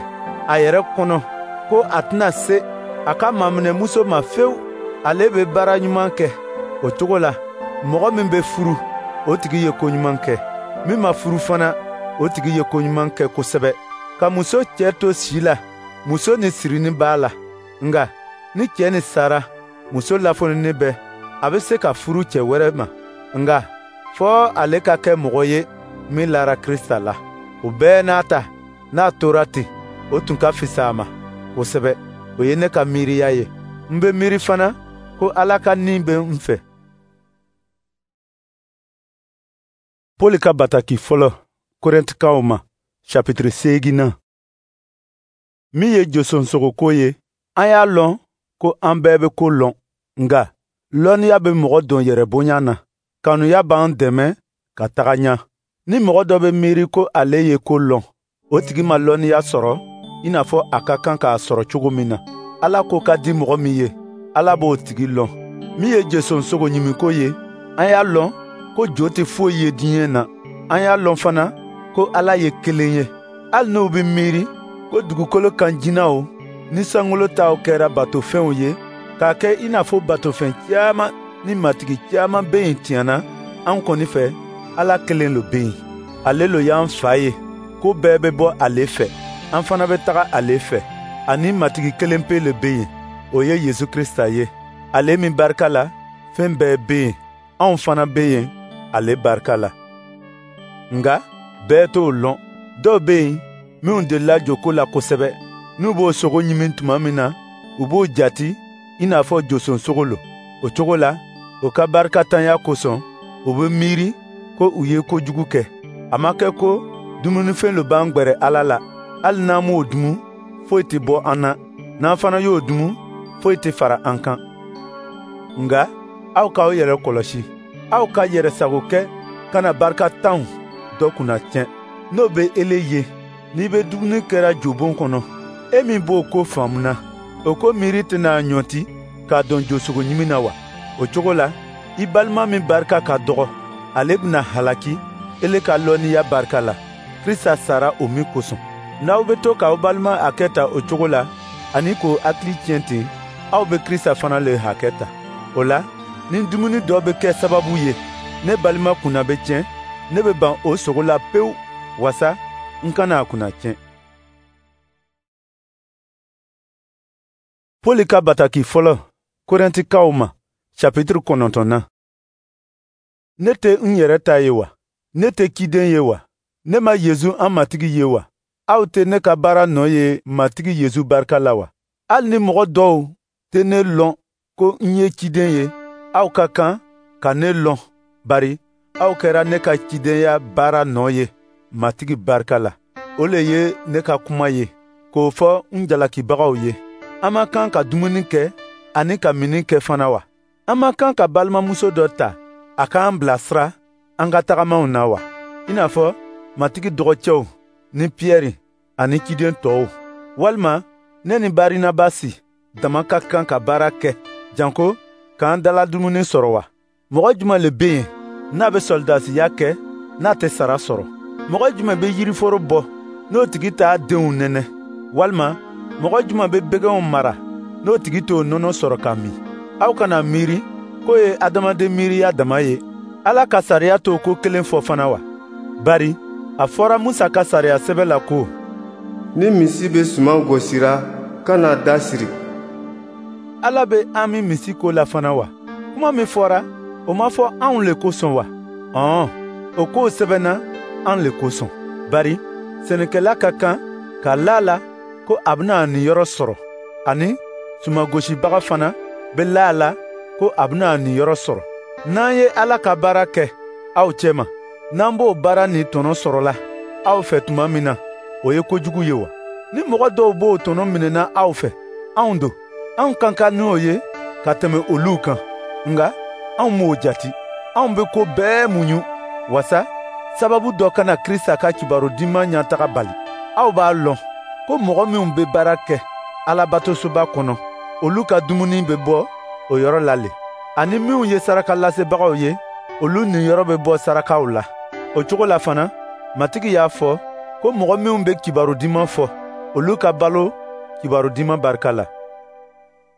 a yɛrɛ kɔnɔ ko a tɛna se a ka maminɛmuso ma fewu, ale bɛ baara ɲuman kɛ. O cogo la, mɔgɔ min bɛ furu, o tigi ye ko ɲuman kɛ. Min ma furu fana, o tigi ye ko ɲuman kɛ kosɛbɛ. Ka muso cɛ to si la, muso ni sirini b'a la. Nka ni cɛ ni sara, muso lafonini bɛ, a bɛ se ka furu cɛ wɛrɛ ma. Nka fɔ ale ka kɛ mɔgɔ ye min lara Krisita la. O bɛɛ n'a ta, n'a tora ten, o tun ka fisa a ma kosɛbɛ. O ye ne ka miiriya ye. N bɛ miiri fana ko Ala ka nin bɛ n fɛ. Pɔli ka bataki fɔlɔ Korɛntikaw ma, chapitre seeginnan. Min ye josonsogoko ye, an y'a lɔn ko an bɛɛ bɛ ko lɔn. Nka lɔnniya bɛ mɔgɔ don yɛrɛbonya na. Kanuya b'an dɛmɛ ka taga ɲɛ. Ni mɔgɔ dɔ bɛ miiri ko ale ye ko lɔn, o tigi ma lɔnniya sɔrɔ i n'a fɔ a ka kan k'a sɔrɔ cogo min na. Ala ko ka di mɔgɔ min ye, Ala b'o tigi lɔn. Min ye josonsogo ɲimiko ye, an y'a lɔn ko jo tɛ foyi ye diɲɛ na. An y'a lɔn fana ko Ala ye kelen ye. Hali n'u bɛ miiri ko dugukolo kan jinɛw ni sankolo taw kɛra batofɛnw ye, k'a kɛ i n'a fɔ batofɛn caman ni matigi caman bɛ yen tiɲɛ na, an kɔni fɛ, Ala kelen lo bɛ yen. Ale lo y'an fa ye, ko bɛɛ bɛ bɔ ale fɛ, an fana bɛ taga ale fɛ. Ani matigi kelen pe le bɛ yen, o ye Yesu Krisita ye. Ale min barika la, fɛn bɛɛ bɛ yen, anw fana bɛ yen ale barika la. Nka bɛɛ t'o lɔn. Dɔw bɛ yen minnu delila joko la kosɛbɛ. N'u b'o sogo ɲimi tuma min na, u b'o jati i n'a fɔ josonsogo lo. O cogo la, o ka barikatanya kosɔn, u bɛ miiri ko u ye kojugu kɛ. A ma kɛ ko dumunifɛn lo b'an gwɛrɛ Ala la. Hali n'an m'o dumu, foyi tɛ bɔ an na. N'an fana y'o dumu, foyi tɛ fara an kan. Nka aw k'aw yɛrɛ kɔlɔsi. Aw ka yɛrɛsago kɛ kana barikatanw dɔ kunna tiɲɛ. N'o bɛ ele ye n'i bɛ dumuni kɛra jobon kɔnɔ, e min b'o ko faamuna, o ko miiri tɛna ɲɔnti k'a dɔn josogo ɲimi na wa? O cogo la, i balima min barika ka dɔgɔ, ale bɛna halaki ele ka lɔnniya barika la, Krista sara o min kosɔn. N'aw bɛ to k'aw balima hakɛ ta o cogo la, ani k'o hakili tiɲɛ ten, aw bɛ Krista fana le hakɛ ta. O la, ni dumuni dɔ bɛ kɛ sababu ye ne balima kunna bɛ tiɲɛ, ne bɛ ban o sogo la pewu, wasa n kana a kunna tiɲɛ. Poli ka bataki fɔlɔ Korɛntikaw ma, chapitre kɔnɔntɔnnan. Ne tɛ n yɛrɛ ta ye wa? Ne tɛ ciden ye wa? Ne ma Yezu an Matigi ye wa? Aw tɛ ne ka baara nɔ ye Matigi Yezu barika la wa? Hali ni mɔgɔ dɔw tɛ ne lɔn ko n ye ciden ye, aw ka kan ka ne lɔn, bari aw kɛra ne ka cidenya baara nɔ ye Matigi barika la. O le ye ne ka kuma ye, k'o fɔ n jalakibagaw ye. An ma kan ka dumuni kɛ ani ka minni kɛ fana wa? An ma kan ka balimamuso dɔ ta a k'an bilasira an ka tagamaw na wa? I n'a fɔ Matigi dɔgɔcɛw ni Piyɛri ani ciden tɔw. Walima ne ni Barinabasi dama ka kan ka baara kɛ janko k'an daladumuni sɔrɔ wa? Mɔgɔ jumɛn le bɛ yen n'a bɛ sɔlidasiya kɛ n'a tɛ sara sɔrɔ? Mɔgɔ jumɛn bɛ yiriforo bɔ n'o tigi t'a denw nɛnɛ? Walima mɔgɔ jumɛn bɛ bɛgɛnw mara n'o tigi t'o nɔnɔ sɔrɔ ka min? Aw kana miiri k'o ye adamaden miiriya dama ye. Ala ka sariya t'o ko kelen fɔ fana wa? Bari a fɔra Musa ka sariya sɛbɛ la ko: Ni misi bɛ suman gosira, kana da siri. Ala bɛ an min misi ko la fana wa? Kuma min fɔra, o ma fɔ anw le kosɔn wa? Ɔn, o kow sɛbɛnna an le kosɔn. Bari sɛnɛkɛla ka kan ka la la ko a bɛna a niyɔrɔ sɔrɔ, ani sumangosibaga fana bɛ la a la ko a bɛna a niyɔrɔ sɔrɔ. N'an ye Ala ka baara kɛ aw cɛma, n'an b'o baara ni tɔnɔ sɔrɔla aw fɛ tuma min na, o ye kojugu ye wa? Ni mɔgɔ dɔw b'o tɔnɔ minɛna aw fɛ, anw don, anw ka kan n'o ye ka tɛmɛ olu kan. Nka anw m'o jati. Anw bɛ ko bɛɛ muɲu, wasa sababu dɔ kana Krista ka kibaru diman ɲɛtaga bali. Aw b'a lɔn ko mɔgɔ minw bɛ baara kɛ Alabatosoba kɔnɔ, olu ka dumuni bɛ bɔ o yɔrɔ la le. Ani minw ye sarakalasebagaw ye, olu niyɔrɔ bɛ bɔ sarakaw la. O cogo la fana, Matigi y'a fɔ ko mɔgɔ minw bɛ kibaru diman fɔ, olu ka balo kibaru diman barika la.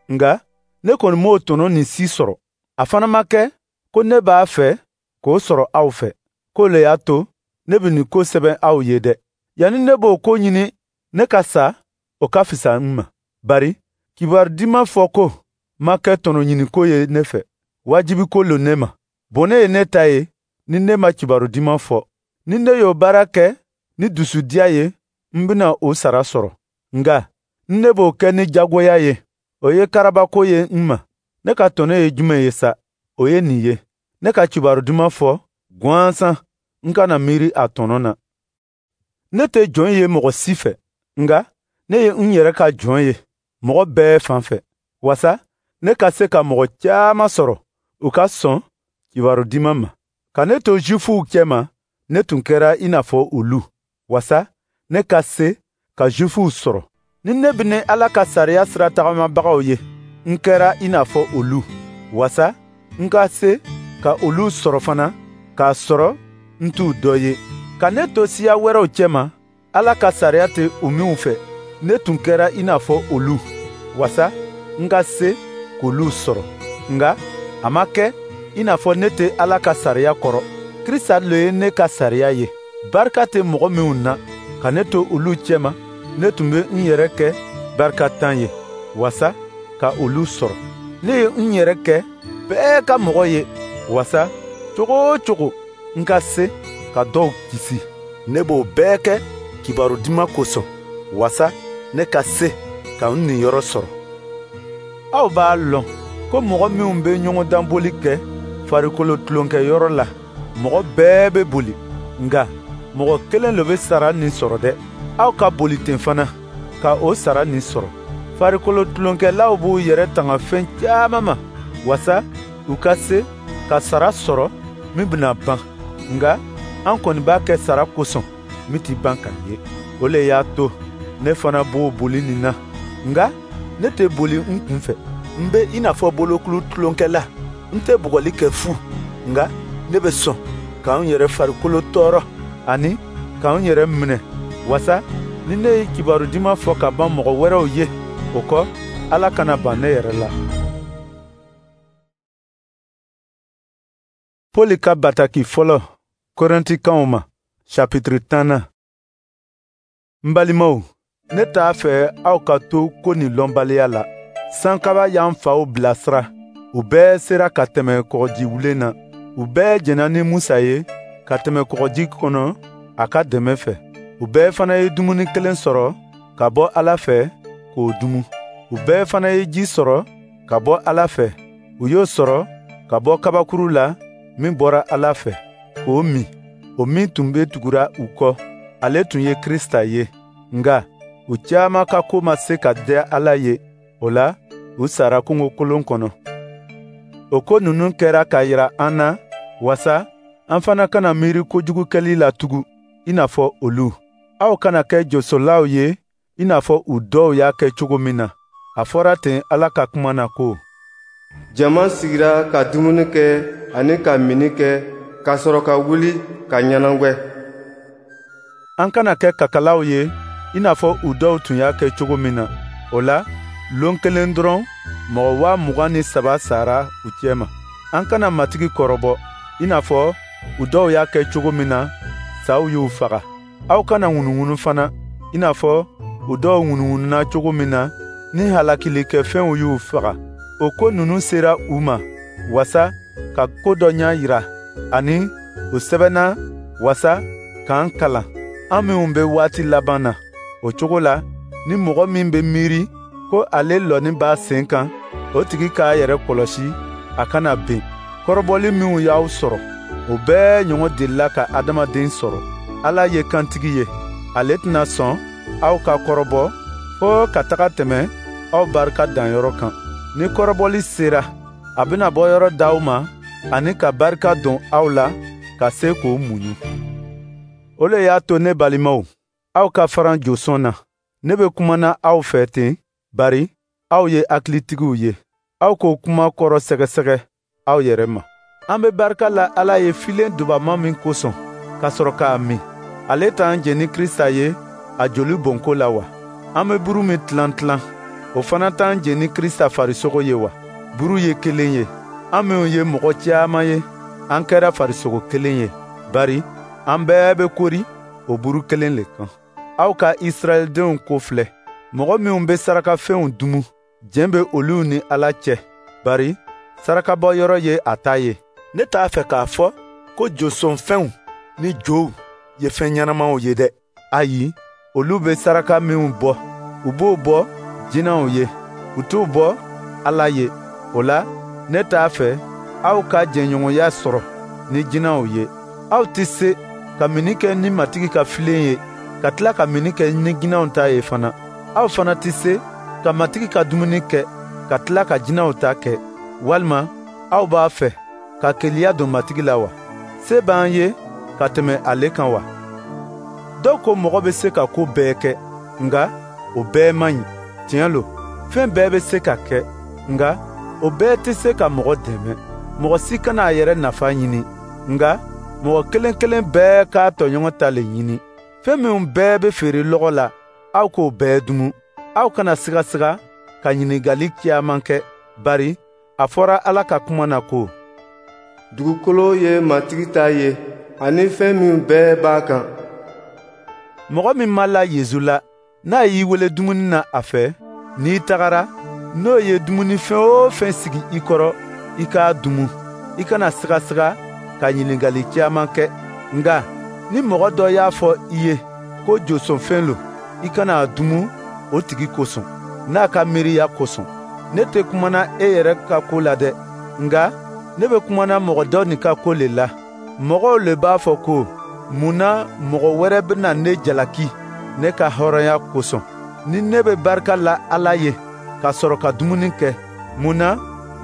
Nka ne kɔni m'o tɔnɔ nin si sɔrɔ. A fana ma kɛ ko ne b'a fɛ k'o sɔrɔ aw fɛ. K'o le y'a to ne bɛ nin ko sɛbɛn aw ye dɛ. Yanni ne b'o ko ɲini ne ka sa, o ka fisa n ma. Bari kibaru diman fɔ ko ma kɛ tɔnɔ ɲiniko ye ne fɛ, wajibi ko lo ne ma. Bɔnɛ ye ne ta ye ni ne ma kibaru diman fɔ. Ni ne y'o baara kɛ ni dusudiya ye, n bɛna o sara sɔrɔ. Nka ni ne b'o kɛ ni jagoya ye, o ye karabako ye n ma. Ne ka tɔnɔ ye jumɛn ye sa? O ye nin ye: ne ka kibaru duman fɔ gansan, n kana miiri a tɔnɔ na. Ne tɛ jɔn ye mɔgɔ si fɛ, nka ne ye n yɛrɛ ka jɔn ye mɔgɔ bɛɛ fan fɛ, wasa ne ka se ka mɔgɔ caman sɔrɔ u ka sɔn kibaru diman ma. Ka ne to Zuwifuw cɛma, ne tun kɛra i n'a fɔ olu, wasa ne ka se ka Zuwifuw sɔrɔ. Ni ne bɛ ni Ala ka sariya sira tagamabagaw ye, n kɛra i n'a fɔ olu, wasa n ka se ka olu sɔrɔ fana, k'a sɔrɔ n t'u dɔ ye. Ka ne to siya wɛrɛw cɛma, Ala ka sariya tɛ u minw fɛ, ne tun kɛra i n'a fɔ olu, wasa n ka se k'olu sɔrɔ. Nka a ma kɛ i n'a fɔ ne tɛ Ala ka sariya kɔrɔ. Krista le ye ne ka sariya ye. Barika tɛ mɔgɔ minw na, ka ne to olu cɛma, ne tun bɛ n yɛrɛ kɛ barikatan ye, wasa ka olu sɔrɔ. Ne ye n yɛrɛ kɛ bɛɛ ka mɔgɔ ye, wasa cogo o cogo n ka se ka dɔw kisi. Ne b'o bɛɛ kɛ kibaru diman kosɔn, wasa ne ka se ka n niyɔrɔ sɔrɔ. Aw b'a lɔn ko mɔgɔ minw bɛ ɲɔgɔndanboli kɛ farikolo tulonkɛyɔrɔ la, mɔgɔ bɛɛ bɛ boli, nka mɔgɔ kelen le bɛ sara nin sɔrɔ dɛ. Aw ka boli ten fana ka o sara nin sɔrɔ. Farikolo tulonkɛlaw b'u yɛrɛ tanga fɛn caman ma, wasa u ka se ka sara sɔrɔ min bɛna ban. Nka An kɔni b'a kɛ sara kosɔn min ti ban ka ye. O le y'a to ne fana b'o boli nin na, nka ne tɛ boli n kun fɛ. N be i n'a fɔ bolokulu tulonkɛla. N tɛ bugɔli kɛ fu, nka ne bɛ sɔn ka n yɛrɛ farikolo tɔɔrɔ ani ka n yɛrɛ minɛ, wasa ni ne ye kibaru diman fɔ ka ban mɔgɔ wɛrɛw ye, o kɔ, Ala kana ban ne yɛrɛ la. Poli ka bataki fɔlɔ Korɛntikaw ma, chapitre tannan. N balimaw, ne t'a fɛ aw ka to ko nin lɔnbaliya la. Sankaba y'an faw bilasira, u bɛɛ sera ka tɛmɛ kɔgɔjiwulen na. U bɛɛ jɛnna ni Musa ye ka tɛmɛ kɔgɔji kɔnɔ a ka dɛmɛ fɛ. U bɛɛ fana ye dumuni kelen sɔrɔ ka bɔ Ala fɛ k'o dumu. U bɛɛ fana ye ji sɔrɔ ka bɔ Ala fɛ. U y'o sɔrɔ ka bɔ kabakuru la min bɔra Ala fɛ k'o min. O min tun bɛ tugura u kɔ, ale tun ye Krista ye. Nka u caman ka ko ma se ka diya Ala ye, o la u sara kungokolon kɔnɔ. O ko ninnu kɛra k'a yira an na, wasa an fana kana miiri kojugu kɛli la tugun i n'a fɔ olu. Aw kana kɛ josolaw ye i n'a fɔ u dɔw y'a kɛ cogo min na. A fɔra ten Ala ka kuma na ko: Jama sigira ka dumuni kɛ ani ka minni kɛ, ka sɔrɔ ka wuli ka ɲɛnagwɛ. An kana kɛ kakalaw ye i n'a fɔ u dɔw tun y'a kɛ cogo min na. O la, lon kelen dɔrɔn, mɔgɔ waa mugan ni saba sara u cɛma. An kana Matigi kɔrɔbɔ i n'a fɔ u dɔw y'a kɛ cogo min na, saw y'u faga. Aw kana ŋunuŋunu fana i n'a fɔ u dɔw ŋunuŋununa cogo min na, ni halakilikɛfɛnw y'u faga. O ko ninnu sera u ma wasa ka ko dɔ ɲɛ yira, ani u sɛbɛnna wasa k'an kalan, an minnu bɛ waati laban na. O cogo la, ni mɔgɔ min bɛ miiri ko ale lɔnni b'a sen kan, o tigi k'a yɛrɛ kɔlɔsi a kana ben. Kɔrɔbɔli minnu y'aw sɔrɔ, o bɛɛ ɲɔgɔn delila ka adamaden sɔrɔ. Ala ye kantigi ye, ale tɛna sɔn aw ka kɔrɔbɔ fo ka taga tɛmɛ aw barika danyɔrɔ kan. Ni kɔrɔbɔli sera, a bɛna bɔ yɔrɔ d'aw ma ani ka barika don aw la ka se k'o muɲu. O le y'a to ne balimaw, aw ka faran josɔn na. Ne bɛ kumana aw fɛ ten, bari aw ye hakilitigiw ye. Aw k'o kuma kɔrɔ sɛgɛsɛgɛ aw yɛrɛ ma. An bɛ barika la Ala ye filen dubama min kosɔn, ka sɔrɔ k'a min. Ale t'an jɛn ni Krista ye a joli bɔnko la wa? An bɛ buru min tilan tilan, o fana t'an jɛn ni Krista farisogo ye wa? Buru ye kelen ye. An minnu ye mɔgɔ caman ye, an kɛra farisogo kelen ye, bari an bɛɛ bɛ kori o buru kelen le kan. Aw ka Israɛldenw ko filɛ. Mɔgɔ minnu bɛ sarakafɛnw dumu, jɛn bɛ olu ni Ala cɛ, bari sarakabɔyɔrɔ ye a ta ye. Ne t'a fɛ k'a fɔ ko josɔnfɛnw ni jow ye fɛn ɲɛnamaw ye dɛ. Ayi, olu bɛ saraka minnu bɔ, u b'o bɔ jinɛw ye, u t'o bɔ Ala ye. O la, ne t'a fɛ aw ka jɛɲɔgɔnya sɔrɔ ni jinɛw ye. Aw tɛ se ka minni kɛ ni Matigi ka filen ye, ka tila ka minni kɛ ni jinɛw ta ye fana. Aw fana tɛ se ka Matigi ka dumuni kɛ, ka tila ka jinɛw ta kɛ. Walima aw b'a fɛ ka keleya don Matigi la wa? Se b'an ye ka tɛmɛ ale kan wa? Dɔw ko mɔgɔ bɛ se ka ko bɛɛ kɛ, nka o bɛɛ man ɲi. Tiɲɛ lo, fɛn bɛɛ bɛ se ka kɛ, nka o bɛɛ tɛ se ka mɔgɔ dɛmɛ. Mɔgɔ si kana a yɛrɛ nafa ɲini, nka mɔgɔ kelen kelen bɛɛ k'a tɔɲɔgɔn ta le ɲini. Fɛn minnu bɛɛ bɛ feere lɔgɔ la, aw k'o bɛɛ dumu. Aw kana sigasiga ka ɲininkali caman kɛ, bari a fɔra Ala ka kuma na ko: Dugukolo ye Matigi ta ye, ani fɛn min bɛɛ b'a kan. Mɔgɔ min ma la Yesu la, n'a y'i wele dumuni na a fɛ, n'i tagara, n'o ye dumunifɛn o fɛn sigi i kɔrɔ, i k'a dumu. I kana sigasiga ka ɲininkali caman kɛ. Nka ni mɔgɔ dɔ y'a fɔ i ye ko josɔnfɛn lo, i kana a dumu o tigi kosɔn, n'a ka miiriya kosɔn. Ne tɛ kumana e yɛrɛ ka ko la dɛ, nka ne bɛ kumana mɔgɔ dɔ nin ka ko le la. Mɔgɔw le b'a fɔ ko, mun na mɔgɔ wɛrɛ bɛna ne jalaki ne ka hɔrɔnya kosɔn? Ni ne bɛ barika la Ala ye ka sɔrɔ ka dumuni kɛ, mun na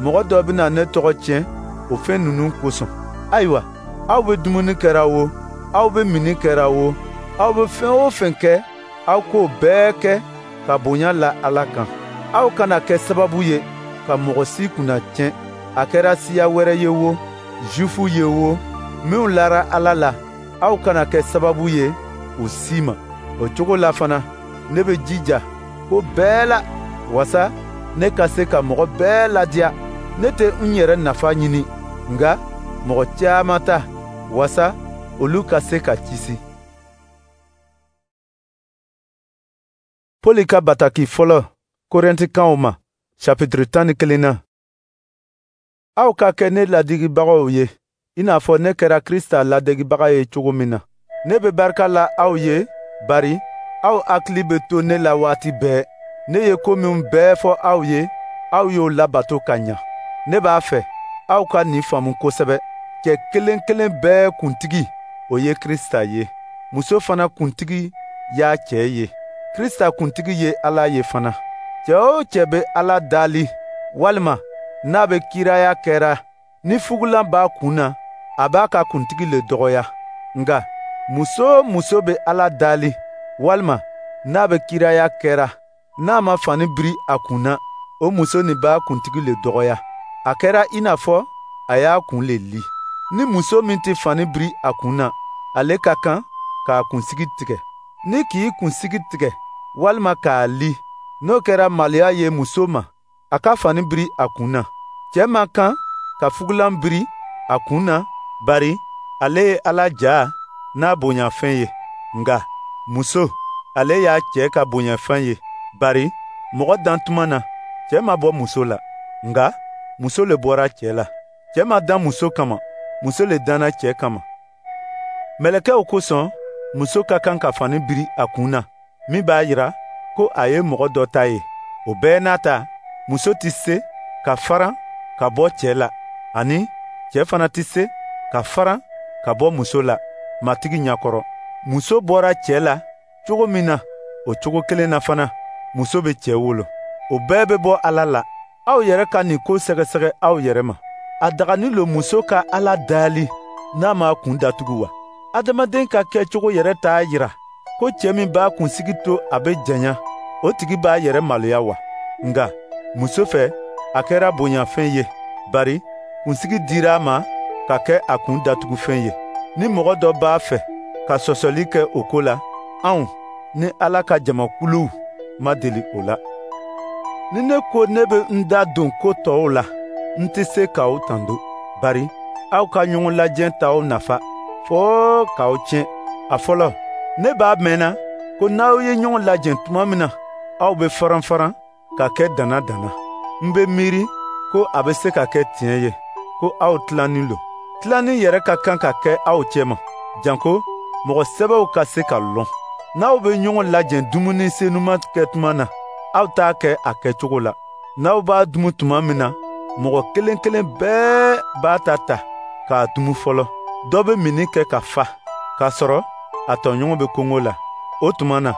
mɔgɔ dɔ bɛna ne tɔgɔ tiɲɛ o fɛn ninnu kosɔn? Ayiwa, aw bɛ dumuni kɛra o, Aw bɛ minni kɛra wo, aw bɛ fɛn o fɛn kɛ, aw k'o bɛɛ kɛ ka bonya la Ala kan. Aw kana kɛ sababu ye ka mɔgɔ si kunna tiɲɛ, a kɛra siya wɛrɛ ye wo, Jufu ye wo, minnu lara Ala la, aw kana kɛ sababu ye u si ma. O cogo la fana, ne bɛ jija ko bɛɛ la, wasa ne ka se ka mɔgɔ bɛɛ ladiya. Ne tɛ n yɛrɛ nafa ɲini, nka mɔgɔ caman ta, wasa olu ka se ka kisi. Pɔli ka bataki fɔlɔ Korɛntikaw ma, chapitre tan ni kelen na. Aw ka kɛ ne ladegibagaw ye, i n'a fɔ ne kɛra Krista ladegebaga ye cogo min na. Ne bɛ barika la aw ye, bari aw hakili bɛ to ne la waati bɛɛ. Ne ye ko minnu bɛɛ fɔ aw ye, aw y'o labato ka ɲa. Ne b'a fɛ aw ka nin faamu kosɛbɛ. Cɛ kelen kelen bɛɛ kuntigi, o ye Krista ye. Muso fana kuntigi y'a cɛ ye. Krista kuntigi ye Ala ye fana. Cɛ o cɛ bɛ Ala dali, walima n'a bɛ kiraya kɛra, ni fugulan b'a kun na, a b'a ka kuntigi le dɔgɔya. Nka muso o muso bɛ Ala dali, walima n'a bɛ kiraya kɛra, n'a ma fani biri a kun na, o muso nin b'a kuntigi le dɔgɔya. A kɛra i n'a fɔ a y'a kun le li. Ni muso min tɛ fani biri a kun na, ale ka kan k'a kunsigi tigɛ. Ni k'i kunsigi tigɛ walima k'a li, n'o kɛra maloya ye muso ma, a ka fani biri a kun na. Cɛ man kan ka fugulan biri a kun na, bari ale ye Ala ja n'a bonyafɛn ye. Nka muso, ale y'a cɛ ka bonyafɛn ye, bari mɔgɔ dan tuma na, cɛ ma bɔ muso la, nka muso le bɔra cɛ la. Cɛ ma dan muso kama, muso le danna cɛ kama. Mɛlɛkɛw kosɔn, muso ka kan ka fani biri a kun na, min b'a yira ko a ye mɔgɔ dɔ ta ye. O bɛɛ n'a ta, muso tɛ se ka faran ka bɔ cɛ la, ani cɛ fana tɛ se ka faran ka bɔ muso la Matigi ɲɛkɔrɔ. Muso bɔra cɛ la cogo min na, o cogo kelen na fana, muso bɛ cɛ wolo. O bɛɛ bɛ bɔ Ala la. Aw yɛrɛ ka nin ko sɛgɛsɛgɛ aw yɛrɛ ma. A dagani lo muso ka Ala dali n'a m'a kun datugu wa? Adamaden ka kɛcogo yɛrɛ t'a yira ko cɛ min b'a kunsigi to a bɛ janya, o tigi b'a yɛrɛ maloya wa? Nka muso fɛ, a kɛra bonyafɛn ye, bari kunsigi dira a ma ka kɛ a kun datugufɛn ye. Ni mɔgɔ dɔ b'a fɛ ka sɔsɔli kɛ o ko la, anw ni Ala ka jamakuluw ma deli o la. Ni ne ko ne bɛ n da don ko tɔw la, n tɛ se k'aw tando, bari aw ka ɲɔgɔn lajɛ t'aw nafa, fɔɔ k'aw tiɲɛ. A fɔlɔ, ne b'a mɛnna ko n'aw ye ɲɔgɔn lajɛ tuma min na, aw bɛ faran-faran ka kɛ dana-dana. N bɛ miiri ko a bɛ se ka kɛ tiɲɛ ye ko aw tilannin lo. Tilanni yɛrɛ ka kan ka kɛ aw cɛma, janko mɔgɔ sɛbɛw ka se ka lɔn. N'aw bɛ ɲɔgɔn lajɛ dumuni senuma kɛ tuma na, aw t'a kɛ a kɛcogo la. N'aw b'a dumu tuma min na, mɔgɔ kelen kelen bɛɛ b'a ta ta k'a dumu fɔlɔ. Dɔ bɛ minni kɛ ka fa, k'a sɔrɔ a tɔɲɔgɔn bɛ kɔngɔ la. O tuma na,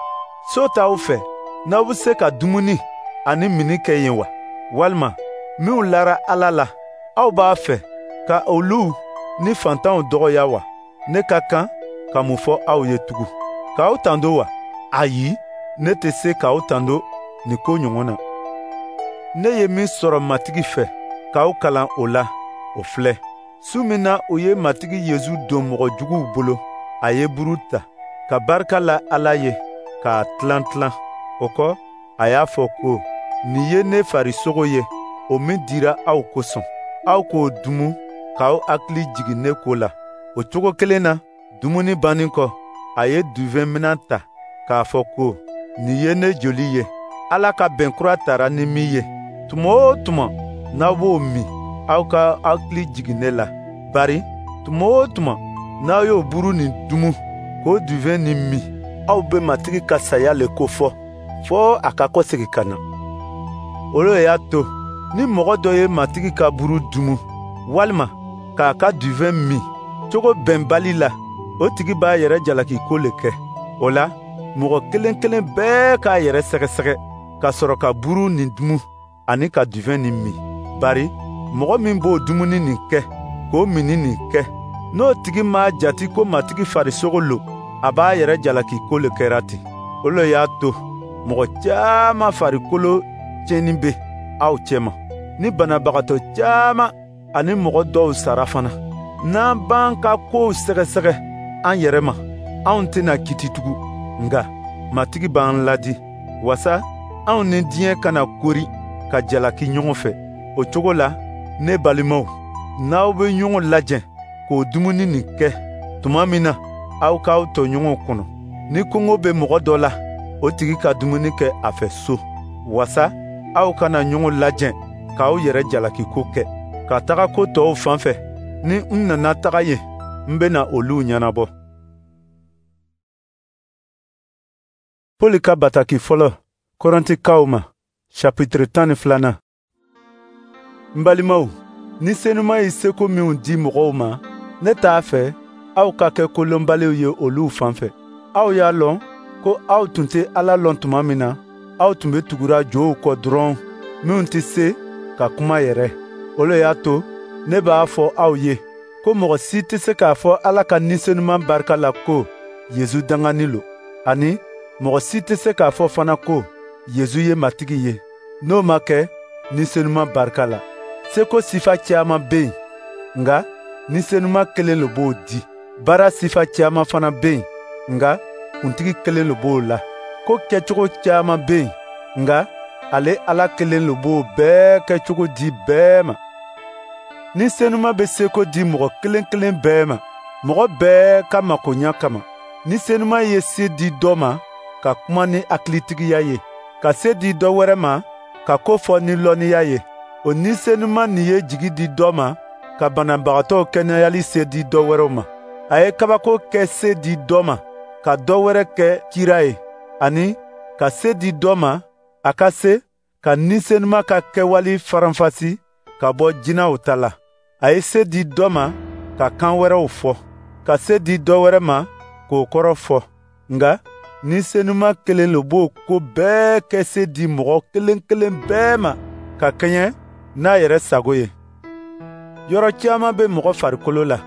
so t'aw fɛ n'aw bɛ se ka dumuni ani minni kɛ yen wa? Walima minnu lara Ala la, aw b'a fɛ ka olu ni fantanw dɔgɔya wa? Ne ka kan ka mun fɔ aw ye tugun? K'aw tando wa? Ayi, ne tɛ se k'aw tando nin ko ɲɔgɔn na. Ne ye min sɔrɔ Matigi fɛ k'aw kalan o la, o filɛ. Su min na u ye Matigi Yesu don mɔgɔ juguw bolo, a ye buru ta, ka barika la Ala ye, k'a tilan tilan. O kɔ, a y'a fɔ ko, nin ye ne farisogo ye, o min dira aw kosɔn. Aw k'o dumu k'aw hakili jigin ne ko la. O cogo kelen na, dumuni bannen kɔ, a ye duvɛn minan ta k'a fɔ ko, nin ye ne joli ye, Ala ka bɛn kura tara ni min ye. Tuma o tuma n'aw b'o min, aw ka hakili jigin ne la. Bari tuma o tuma n'aw y'o buru nin dumu k'o duvɛn nin min, aw bɛ Matigi ka saya le ko fɔ, fɔ a ka kɔsegin ka na. O le y'a to ni mɔgɔ dɔ ye Matigi ka buru dumu walima k'a ka duvɛn min cogo bɛnbali la, o tigi b'a yɛrɛ jalaki ko le kɛ. O la, mɔgɔ kelen kelen bɛɛ k'a yɛrɛ sɛgɛsɛgɛ ka sɔrɔ ka buru nin dumu ani ka duvɛn nin min. Bari mɔgɔ min b'o dumuni nin kɛ k'o minni nin kɛ, N'o tigi m'a jati ko Matigi farisogo lo, a b'a yɛrɛ jalaki ko le kɛra ten. O le y'a to mɔgɔ caman farikolo tiɲɛni bɛ aw cɛma, ni banabagatɔ caman ani mɔgɔ dɔw sara fana. N'an b'an ka kow sɛgɛsɛgɛ an yɛrɛ ma, anw tɛna kiiti tugun. Nka Matigi b'an ladi, wasa anw ni diɲɛ kana kori ka jalaki ɲɔgɔn fɛ. O cogo la, ne balimaw, n'aw bɛ ɲɔgɔn lajɛ k'o dumuni nin kɛ tuma min na, aw k'aw tɔɲɔgɔnw kɔnɔ. Ni kɔngɔ bɛ mɔgɔ dɔ la, o tigi ka dumuni kɛ a fɛ so, wasa aw kana ɲɔgɔn lajɛ k'aw yɛrɛ jalaki ko kɛ. Ka taga ko tɔw fan fɛ, ni n nana taga yen, n bɛna olu ɲɛnabɔ. Pɔli ka bataki fɔlɔ Kɔrɛntikaw ma, chapitre tan ni filanan. N balimaw, ni Senuma ye seko minw di mɔgɔw ma, ne t'a fɛ aw ka kɛ kolonbaliw ye olu fan fɛ. Aw y'a lɔn ko aw tun tɛ Ala lɔn tuma min na, aw tun bɛ tugura jow kɔ dɔrɔn minnu tɛ se ka kuma yɛrɛ. O le y'a to ne b'a fɔ aw ye ko mɔgɔ si tɛ se k'a fɔ Ala ka Ni Senuma barika la ko Yezu danganin lo, ani mɔgɔ si tɛ se k'a fɔ fana ko Yezu ye Matigi ye, n'o ma kɛ Ni Senuma barika la. Seko sifa caman bɛ yen, nka Ni Senuma kelen le b'o di. Baara sifa caman fana bɛ yen, nka Kuntigi kelen le b'o la. Ko kɛcogo caman bɛ yen, nka ale Ala kelen le b'o bɛɛ kɛcogo di bɛɛ ma. Ni Senuma bɛ seko di mɔgɔ kelen kelen bɛɛ ma, mɔgɔ bɛɛ ka makoɲa kama. Ni Senuma ye se di dɔ ma ka kuma ni hakilitigiya ye, ka se di dɔ wɛrɛ ma ka ko fɔ ni lɔnniya ye, o Ni Senuma nin ye jigi di dɔ ma ka banabagatɔw kɛnɛyali se di dɔ wɛrɛw ma. A ye kabako kɛ se di dɔ ma ka dɔ wɛrɛ kɛ kira ye, ani ka se di dɔ ma a ka se ka Ni Senuma ka kɛwale faranfasi ka bɔ jinɛw ta la. A ye se di dɔ ma ka kan wɛrɛw fɔ, ka se di dɔ wɛrɛ ma k'o kɔrɔ fɔ. Nka Ni Senuma kelen le b'o ko bɛɛ kɛ se di mɔgɔ kelen kelen bɛɛ ma ka kɛɲɛ n'a yɛrɛ sago ye. Yɔrɔ caman bɛ mɔgɔ farikolo la,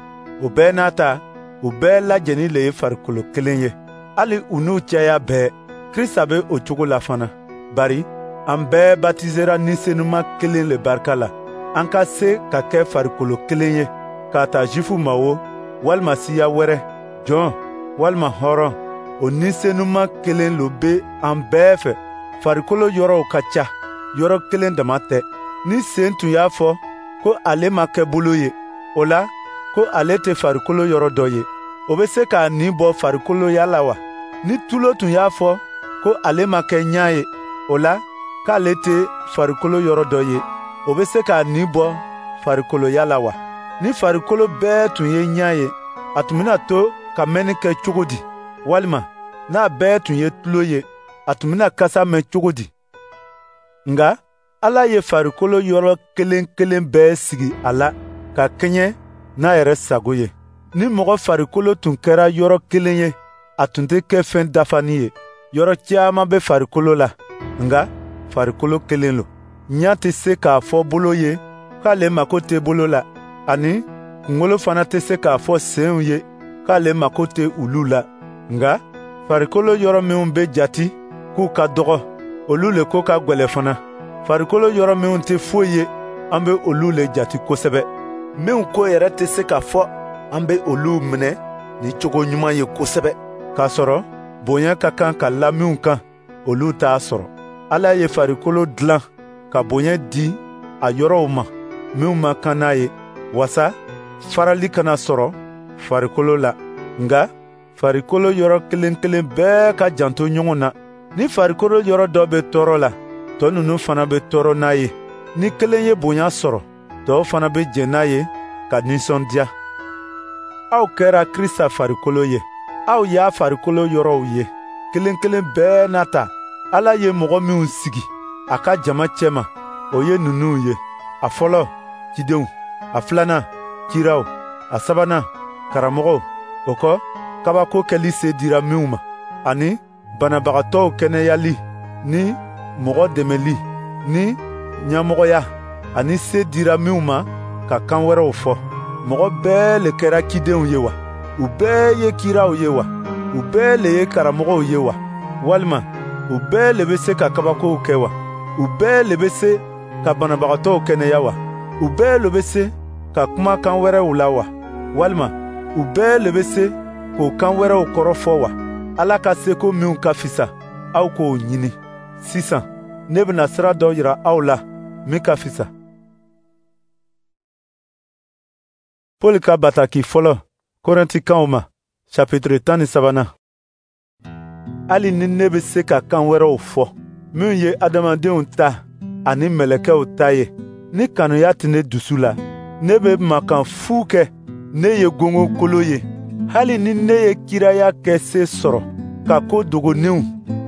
o bɛɛ n'a ta, u bɛɛ lajɛnin le ye farikolo kelen ye. Hali u n'u caya bɛɛ, Krista bɛ o cogo la fana. Bari an bɛɛ batizera Ni Senuma kelen le barika la, an ka se ka kɛ farikolo kelen ye, k'a ta Zifu ma wo, walima siya wɛrɛ, jɔn walima hɔrɔn, o Ni Senuma kelen lo bɛ an bɛɛ fɛ. Farikolo yɔrɔw ka ca, yɔrɔ kelen dama tɛ. Ni sen tun y'a fɔ ko ale ma kɛ bolo ye, o la ko ale tɛ farikolo yɔrɔ dɔ ye, o bɛ se k'a nin bɔ farikoloya la wa? Ni tulo tun y'a fɔ ko ale ma kɛ ɲa ye, o la k'ale tɛ farikolo yɔrɔ dɔ ye, o bɛ se k'a nin bɔ farikoloya la wa? Ni farikolo bɛɛ tun ye ɲa ye, a tun bɛna to ka mɛnni kɛ cogo di? Walima n'a bɛɛ tun ye tulo ye, a tun bɛna kasa mɛn cogo di? Nka Ala ye farikolo yɔrɔ kelen kelen bɛɛ sigi a la ka kɛɲɛ n'a yɛrɛ sago ye. Ni mɔgɔ farikolo tun kɛra yɔrɔ kelen ye, a tun tɛ kɛ fɛn dafani ye. Yɔrɔ caman bɛ farikolo la, nka farikolo kelen lo. Ɲa tɛ se k'a fɔ bolo ye k'ale mako tɛ bolo la, ani kunkolo fana tɛ se k'a fɔ senw ye k'ale mako tɛ olu la. Nka farikolo yɔrɔ minw bɛ jati k'u ka dɔgɔ, olu le ko ka gwɛlɛ fana. Farikolo yɔrɔ minw tɛ foyi ye, an bɛ olu le jati kosɛbɛ. Minw ko yɛrɛ tɛ se ka fɔ, an bɛ olu minɛ ni cogo ɲuman ye kosɛbɛ. K'a sɔrɔ bonya ka kan ka la minw kan, olu t'a sɔrɔ. Ala ye farikolo dilan ka bonya di a yɔrɔw ma minw ma kan n'a ye, wasa farali kana sɔrɔ farikolo la. Nka farikolo yɔrɔ kelen kelen bɛɛ ka janto ɲɔgɔn na. Ni farikolo yɔrɔ dɔ bɛ tɔɔrɔ la, tɔ ninnu fana bɛ tɔɔrɔ n'a ye. Ni kelen ye bonya sɔrɔ, tɔw fana bɛ jɛn n'a ye ka nisɔndiya. Aw kɛra Krista farikolo ye, aw y'a farikolo yɔrɔw ye, kelen kelen bɛɛ n'a ta. Ala ye mɔgɔ minw sigi a ka jama cɛma, o ye ninnu ye: a fɔlɔ, cidenw; a filanan, kiraw; a sabanan, karamɔgɔw. O kɔ, kabako kɛli se dira minw ma, ani banabagatɔw kɛnɛyali ni mɔgɔ dɛmɛli ni ɲɛmɔgɔya, ani se dira minw ma ka kan wɛrɛw fɔ. Mɔgɔ bɛɛ le kɛra cidenw ye wa? U bɛɛ ye kiraw ye wa? U bɛɛ le ye karamɔgɔw ye wa? Walima u bɛɛ le bɛ se ka kabakow kɛ wa? U bɛɛ le bɛ se ka banabagatɔw kɛnɛya wa? U bɛɛ le bɛ se ka kuma kan wɛrɛw la wa? Walima u bɛɛ le bɛ se k'o kan wɛrɛw kɔrɔ fɔ wa? Ala ka seko minw ka fisa, aw k'o ɲini. Sisan, ne bɛna sira dɔ yira aw la min ka fisa. Paul ka bataki fɔlɔ Korɛntikaw ma, chapitre tan ni sabanan. Hali ni ne bɛ se ka kan wɛrɛw fɔ, minnu ye adamadenw ta ani mɛlɛkɛw ta ye, ni kanuya tɛ ne dusu la, ne bɛ mankan fu kɛ, ne ye gongon ye. Hali ni ne ye kiraya kɛ se sɔrɔ, ka ko dogoninw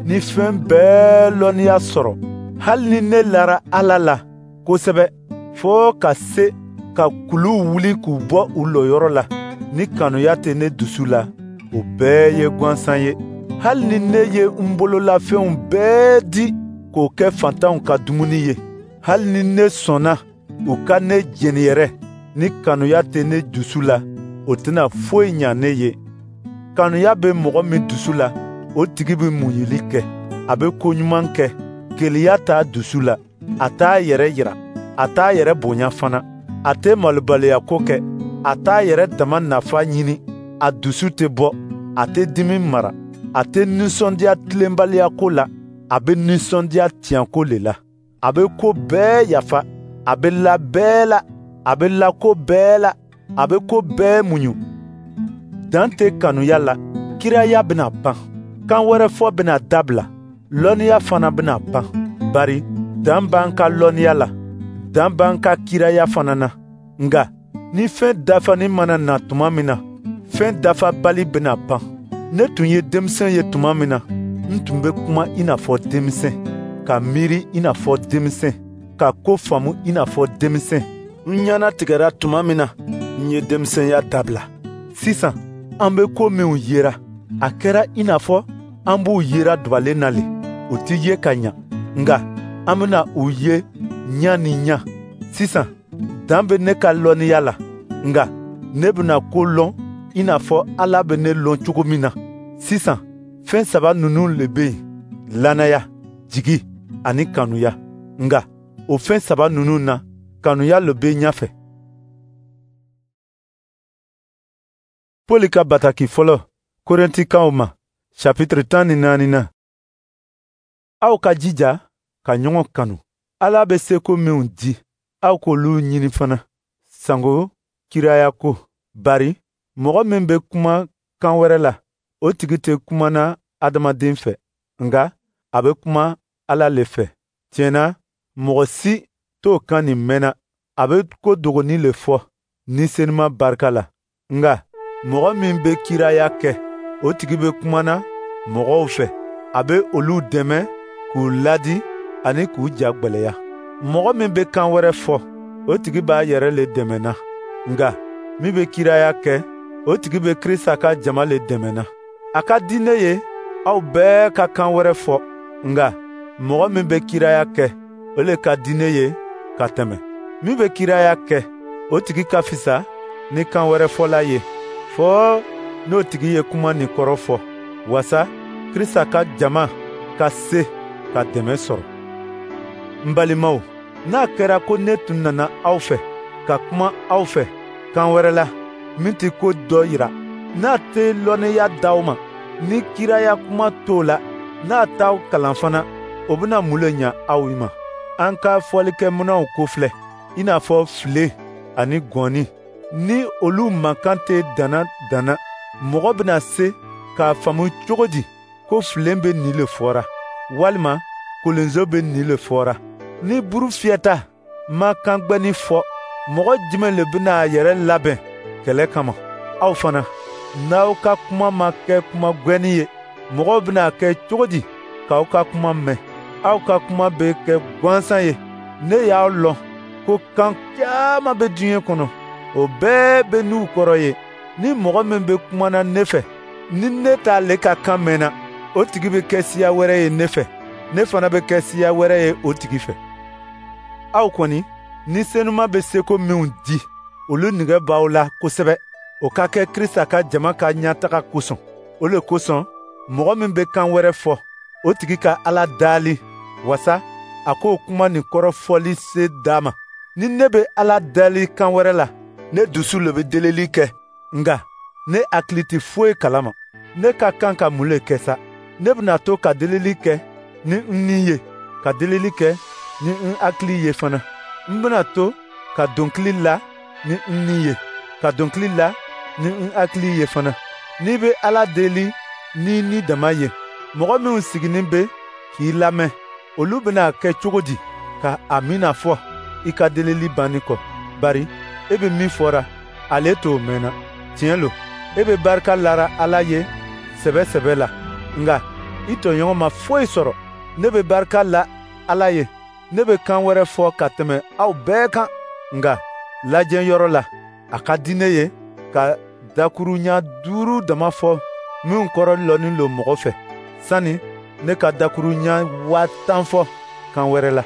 ni fɛn bɛɛ lɔnniya sɔrɔ, hali ni ne lara Ala la kosɛbɛ fo ka se ka kuluw wuli k'u bɔ u lɔyɔrɔ la, ni kanuya tɛ ne dusu la, o bɛɛ ye gansan ye. Hali ni ne ye n bololafɛnw bɛɛ di k'o kɛ fantanw ka dumuni ye, hali ni ne sɔnna u ka ne jeni yɛrɛ, ni kanuya tɛ ne dusu la, o tɛna foyi ɲa ne ye. Kanuya bɛ mɔgɔ min dusu la, o tigi bɛ muɲuli kɛ, a bɛ ko ɲuman kɛ. Keleya t'a dusu la, a t'a yɛrɛ yira, a t'a yɛrɛ bonya fana, a tɛ malobaliya ko kɛ, a t'a yɛrɛ dama nafa ɲini, a dusu tɛ bɔ, a tɛ dimi mara, a tɛ nisɔndiya tilenbaliya ko la, a bɛ nisɔndiya tiɲɛko le la. A bɛ ko bɛɛ yafa, a bɛ la bɛɛ la, a bɛ la ko bɛɛ la, a bɛ ko bɛɛ muɲu. Dan tɛ kanuya la, kiraya bɛna ban, kan wɛrɛ fɔ bɛna dabila, lɔnniya fana bɛna ban. Bari dan b'an ka lɔnniya la, dan b'an ka kiraya fana na. Nka ni fɛn dafani mana na tuma min na, fɛn dafabali bɛna ban. Ne tun ye denmisɛn ye tuma min na, n tun bɛ kuma i n'a fɔ denmisɛn, ka miiri i n'a fɔ denmisɛn, ka ko faamu i n'a fɔ denmisɛn. N ɲɛnatigɛra tuma min na, n ye denmisɛnya dabila. Sisan, an bɛ ko minw yera, a kɛra i n'a fɔ an b'u yera dubalen na le, u tɛ ye ka ɲa, nka an bɛna u ye ɲa ni ɲa. Sisan, dan bɛ ne ka lɔnniya la, nka ne bɛna ko lɔn i n'a fɔ Ala bɛ ne lɔn cogo min na. Sisan, fɛn saba ninnu le bɛ yen: lannaya, jigi ani kanuya. Nka o fɛn saba ninnu na, kanuya le bɛ ɲɛfɛ. Paul ka bataki fɔlɔ Korɛntikaw ma, chapitre tan ni naani na. Aw ka jija ka ɲɔgɔn kanu. Ala bɛ seko minw di, aw k'olu ɲini fana, sango kiraya ko. Bari mɔgɔ min bɛ kuma kan wɛrɛ la, o tigi tɛ kumana adamaden fɛ, nka a bɛ kuma Ala le fɛ. Tiɲɛ na, mɔgɔ si t'o kan nin mɛnna, a bɛ ko dogonin le fɔ Ni Senuma barika la. Nka mɔgɔ min bɛ kiraya kɛ, o tigi bɛ kumana mɔgɔw fɛ, a bɛ olu dɛmɛ k'u ladi ani k'u ja gwɛlɛya. Mɔgɔ min bɛ kan wɛrɛ fɔ, o tigi b'a yɛrɛ le dɛmɛna. Nka min bɛ kiraya kɛ, o tigi bɛ Krista ka jama le dɛmɛna. A ka di ne ye aw bɛɛ ka kan wɛrɛ fɔ, nka mɔgɔ min bɛ kiraya kɛ, o le ka di ne ye ka tɛmɛ. Min bɛ kiraya kɛ, o tigi ka fisa ni kan wɛrɛ fɔla ye, fɔɔ n'o tigi ye kuma nin kɔrɔ fɔ, wasa Krista ka jama ka se ka dɛmɛ sɔrɔ. N balimaw, n'a kɛra ko ne tun nana aw fɛ ka kuma aw fɛ kan wɛrɛ la min tɛ ko dɔ yira, n'a tɛ lɔnniya d'aw ma, ni kiraya kuma t'o la, n'a t'aw kalan fana, o bɛna mun le ɲa aw ma? An ka fɔlikɛminɛnw ko filɛ, i n'a fɔ file ani gɔnni. Ni olu mankan tɛ danna danna, mɔgɔ bɛna se k'a faamu cogo di ko filen bɛ nin le fɔra, walima kolonzo bɛ nin le fɔra? Ni buru fiyɛta ma kan gbɛni fɔ, mɔgɔ jumɛn le bɛna a yɛrɛ labɛn kɛlɛ kama? Aw fana, n'aw ka kuma ma kɛ kuma gwɛni ye, mɔgɔw bɛna kɛ cogo di k'aw ka kuma mɛn? Aw ka kuma bɛ kɛ gansan ye. Ne y'aw lɔn ko kan caman bɛ diɲɛ kɔnɔ, o bɛɛ bɛ n'u kɔrɔ ye. Ni mɔgɔ min bɛ kumana ne fɛ, ni ne t'ale ka kan mɛnna, o tigi bɛ kɛ siya wɛrɛ ye ne fɛ, ne fana bɛ kɛ siya wɛrɛ ye o tigi fɛ. Aw kɔni, Ni Senuma bɛ seko minw di, Olu nige b'aw la kosɛbɛ, o ka kɛ Krista ka jama ka ɲɛtaga kosɔn. O le kosɔn, mɔgɔ min bɛ kan wɛrɛ fɔ, o tigi ka Ala dali wasa a k'o kuma nin kɔrɔ fɔli se d'a ma. Ni ne bɛ Ala dali kan wɛrɛ la, ne dusu le bɛ delili kɛ, nka ne hakili tɛ foyi kalama. Ne ka kan ka mun le kɛ sa? Ne bɛna to ka delili kɛ ni n ni ye, ka delili kɛ ni n hakili ye fana. N bɛna to ka dɔnkili la ni n ni ye, ka dɔnkili la ni n hakili ye fana. N'i bɛ Ala deli n'i ni dama ye, mɔgɔ minnu siginin bɛ k'i lamɛn, olu bɛna kɛ cogo di ka amiina fɔ i ka delili banni kɔ? Bari e bɛ min fɔra, ale t'o mɛnna. Tiɲɛ lo, e bɛ barika lara Ala ye sɛbɛ sɛbɛ la, nka i tɔɲɔgɔn ma foyi sɔrɔ. Ne bɛ barika la Ala ye, ne bɛ kan wɛrɛ fɔ ka tɛmɛ aw bɛɛ kan, nka lajɛ yɔrɔ la, a ka di ne ye ka dakuruɲa duuru dama fɔ minnu kɔrɔ lɔnni lo mɔgɔ fɛ, sani ne ka dakuruɲa waa tan fɔ kan wɛrɛ la.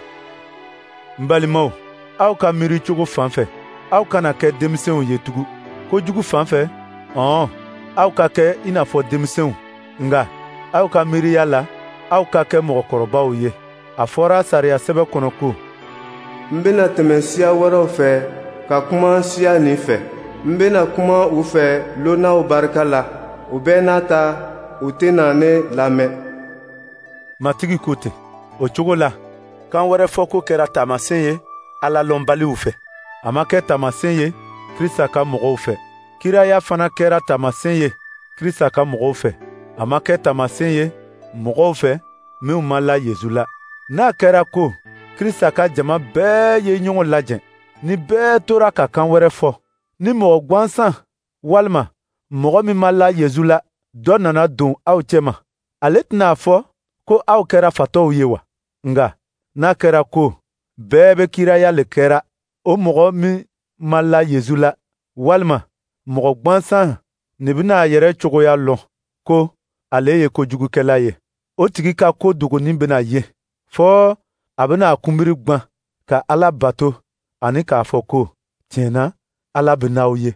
N balimaw, aw ka miiri cogo fan fɛ, aw kana kɛ denmisɛnw ye tugun. Kojugu fan fɛ, ɔn, aw ka kɛ i n'a fɔ denmisɛnw, nka aw ka miiriya la, aw ka kɛ mɔgɔkɔrɔbaw ye. A fɔra sariya sɛbɛn kɔnɔ ko: N bɛna tɛmɛ siya wɛrɛw fɛ ka kuma siya nin fɛ. N bɛna kuma u fɛ lonnaw barika la. O bɛɛ n'a ta, u tɛna ne lamɛn. Matigi ko ten. O cogo la, kan wɛrɛ fɔko kɛra taamasiyɛn ye Ala lɔnbaliw fɛ. A ma kɛ taamasiyɛn ye Krista ka mɔgɔw fɛ. Kiraya fana kɛra taamasiyɛn ye Krista ka mɔgɔw fɛ. A ma kɛ taamasiyɛn ye mɔgɔw fɛ minnu ma la Yesu la. N'a kɛra ko Krista ka jama bɛɛ ye ɲɔgɔn lajɛ, ni bɛɛ tora ka kan wɛrɛ fɔ, ni mɔgɔ gansan walima mɔgɔ min ma la Yesu la, dɔ nana don aw cɛma, ale tɛna a fɔ ko aw kɛra fatɔw ye wa? Nka n'a kɛra ko bɛɛ bɛ kiraya le kɛra, o mɔgɔ min ma la Yesu la, walima mɔgɔ gansan nin bɛna a yɛrɛ cogoya lɔn ko ale ye kojugukɛla ye. O tigi ka ko dogonin bɛna ye, fɔ a bɛna a kunbiri gwan ka Ala bato ani k'a fɔ ko tiɲɛ na Ala bɛ n'aw ye.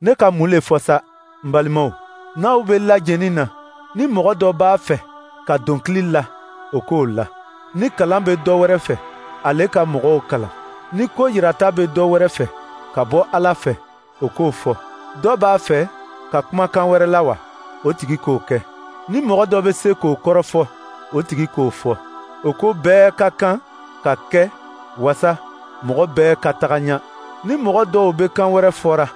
Ne ka mun le fɔ sa, n balimaw? N'aw bɛ lajɛni na, ni mɔgɔ dɔ b'a fɛ ka dɔnkili la, o k'o la. Ni kalan bɛ dɔ wɛrɛ fɛ, ale ka mɔgɔw kalan. Ni ko yirata bɛ dɔ wɛrɛ fɛ ka bɔ Ala fɛ, o k'o fɔ. Dɔ b'a fɛ ka kumakan wɛrɛ la wa? O tigi k'o kɛ. Ni mɔgɔ dɔ bɛ se k'o kɔrɔ fɔ, o tigi k'o fɔ. O ko bɛɛ ka kan ka kɛ wasa mɔgɔ bɛɛ ka taga ɲɛ. Ni mɔgɔ dɔw bɛ kan wɛrɛ fɔra,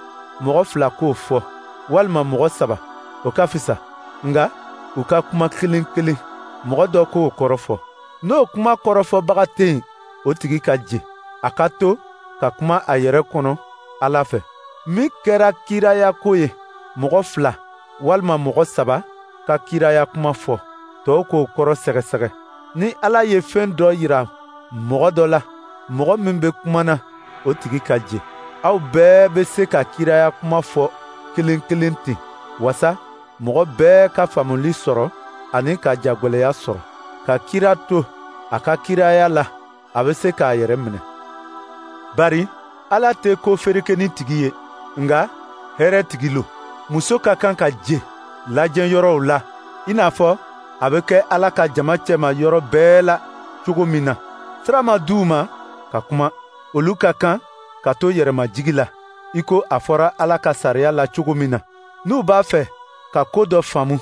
mɔgɔ fila k'o fɔ, walima mɔgɔ saba, o ka fisa. Nka u ka kuma kelen kelen, mɔgɔ dɔ k'o kɔrɔ fɔ. N'o kuma kɔrɔfɔbaga tɛ yen, o tigi ka je. A ka to ka kuma a yɛrɛ kɔnɔ Ala fɛ. Min kɛra kiraya ko ye, mɔgɔ fila walima mɔgɔ saba ka kiraya kuma fɔ, tɔw k'o kɔrɔ sɛgɛsɛgɛ. Ni Ala ye fɛn dɔ yira mɔgɔ dɔ la, mɔgɔ min bɛ kuma na, o tigi ka je. Aw bɛɛ bɛ se ka kiraya kuma fɔ kelen kelen ten, wasa mɔgɔ bɛɛ ka faamuli sɔrɔ ani ka jagwɛlɛya sɔrɔ. Ka kira to a ka kiraya la, a bɛ se k'a yɛrɛ minɛ. Bari Ala tɛ ko ferekeni tigi ye, nka hɛrɛ tigi lo. Muso ka kan ka je lajɛ yɔrɔw la, i n'a fɔ a bɛ kɛ Ala ka jama cɛma yɔrɔ bɛɛ la cogo min na. Sira ma d'u ma ka kuma, olu ka kan ka to yɛrɛmajigi la, i ko a fɔra Ala ka sariya la cogo min na. N'u b'a fɛ ka ko dɔ faamu,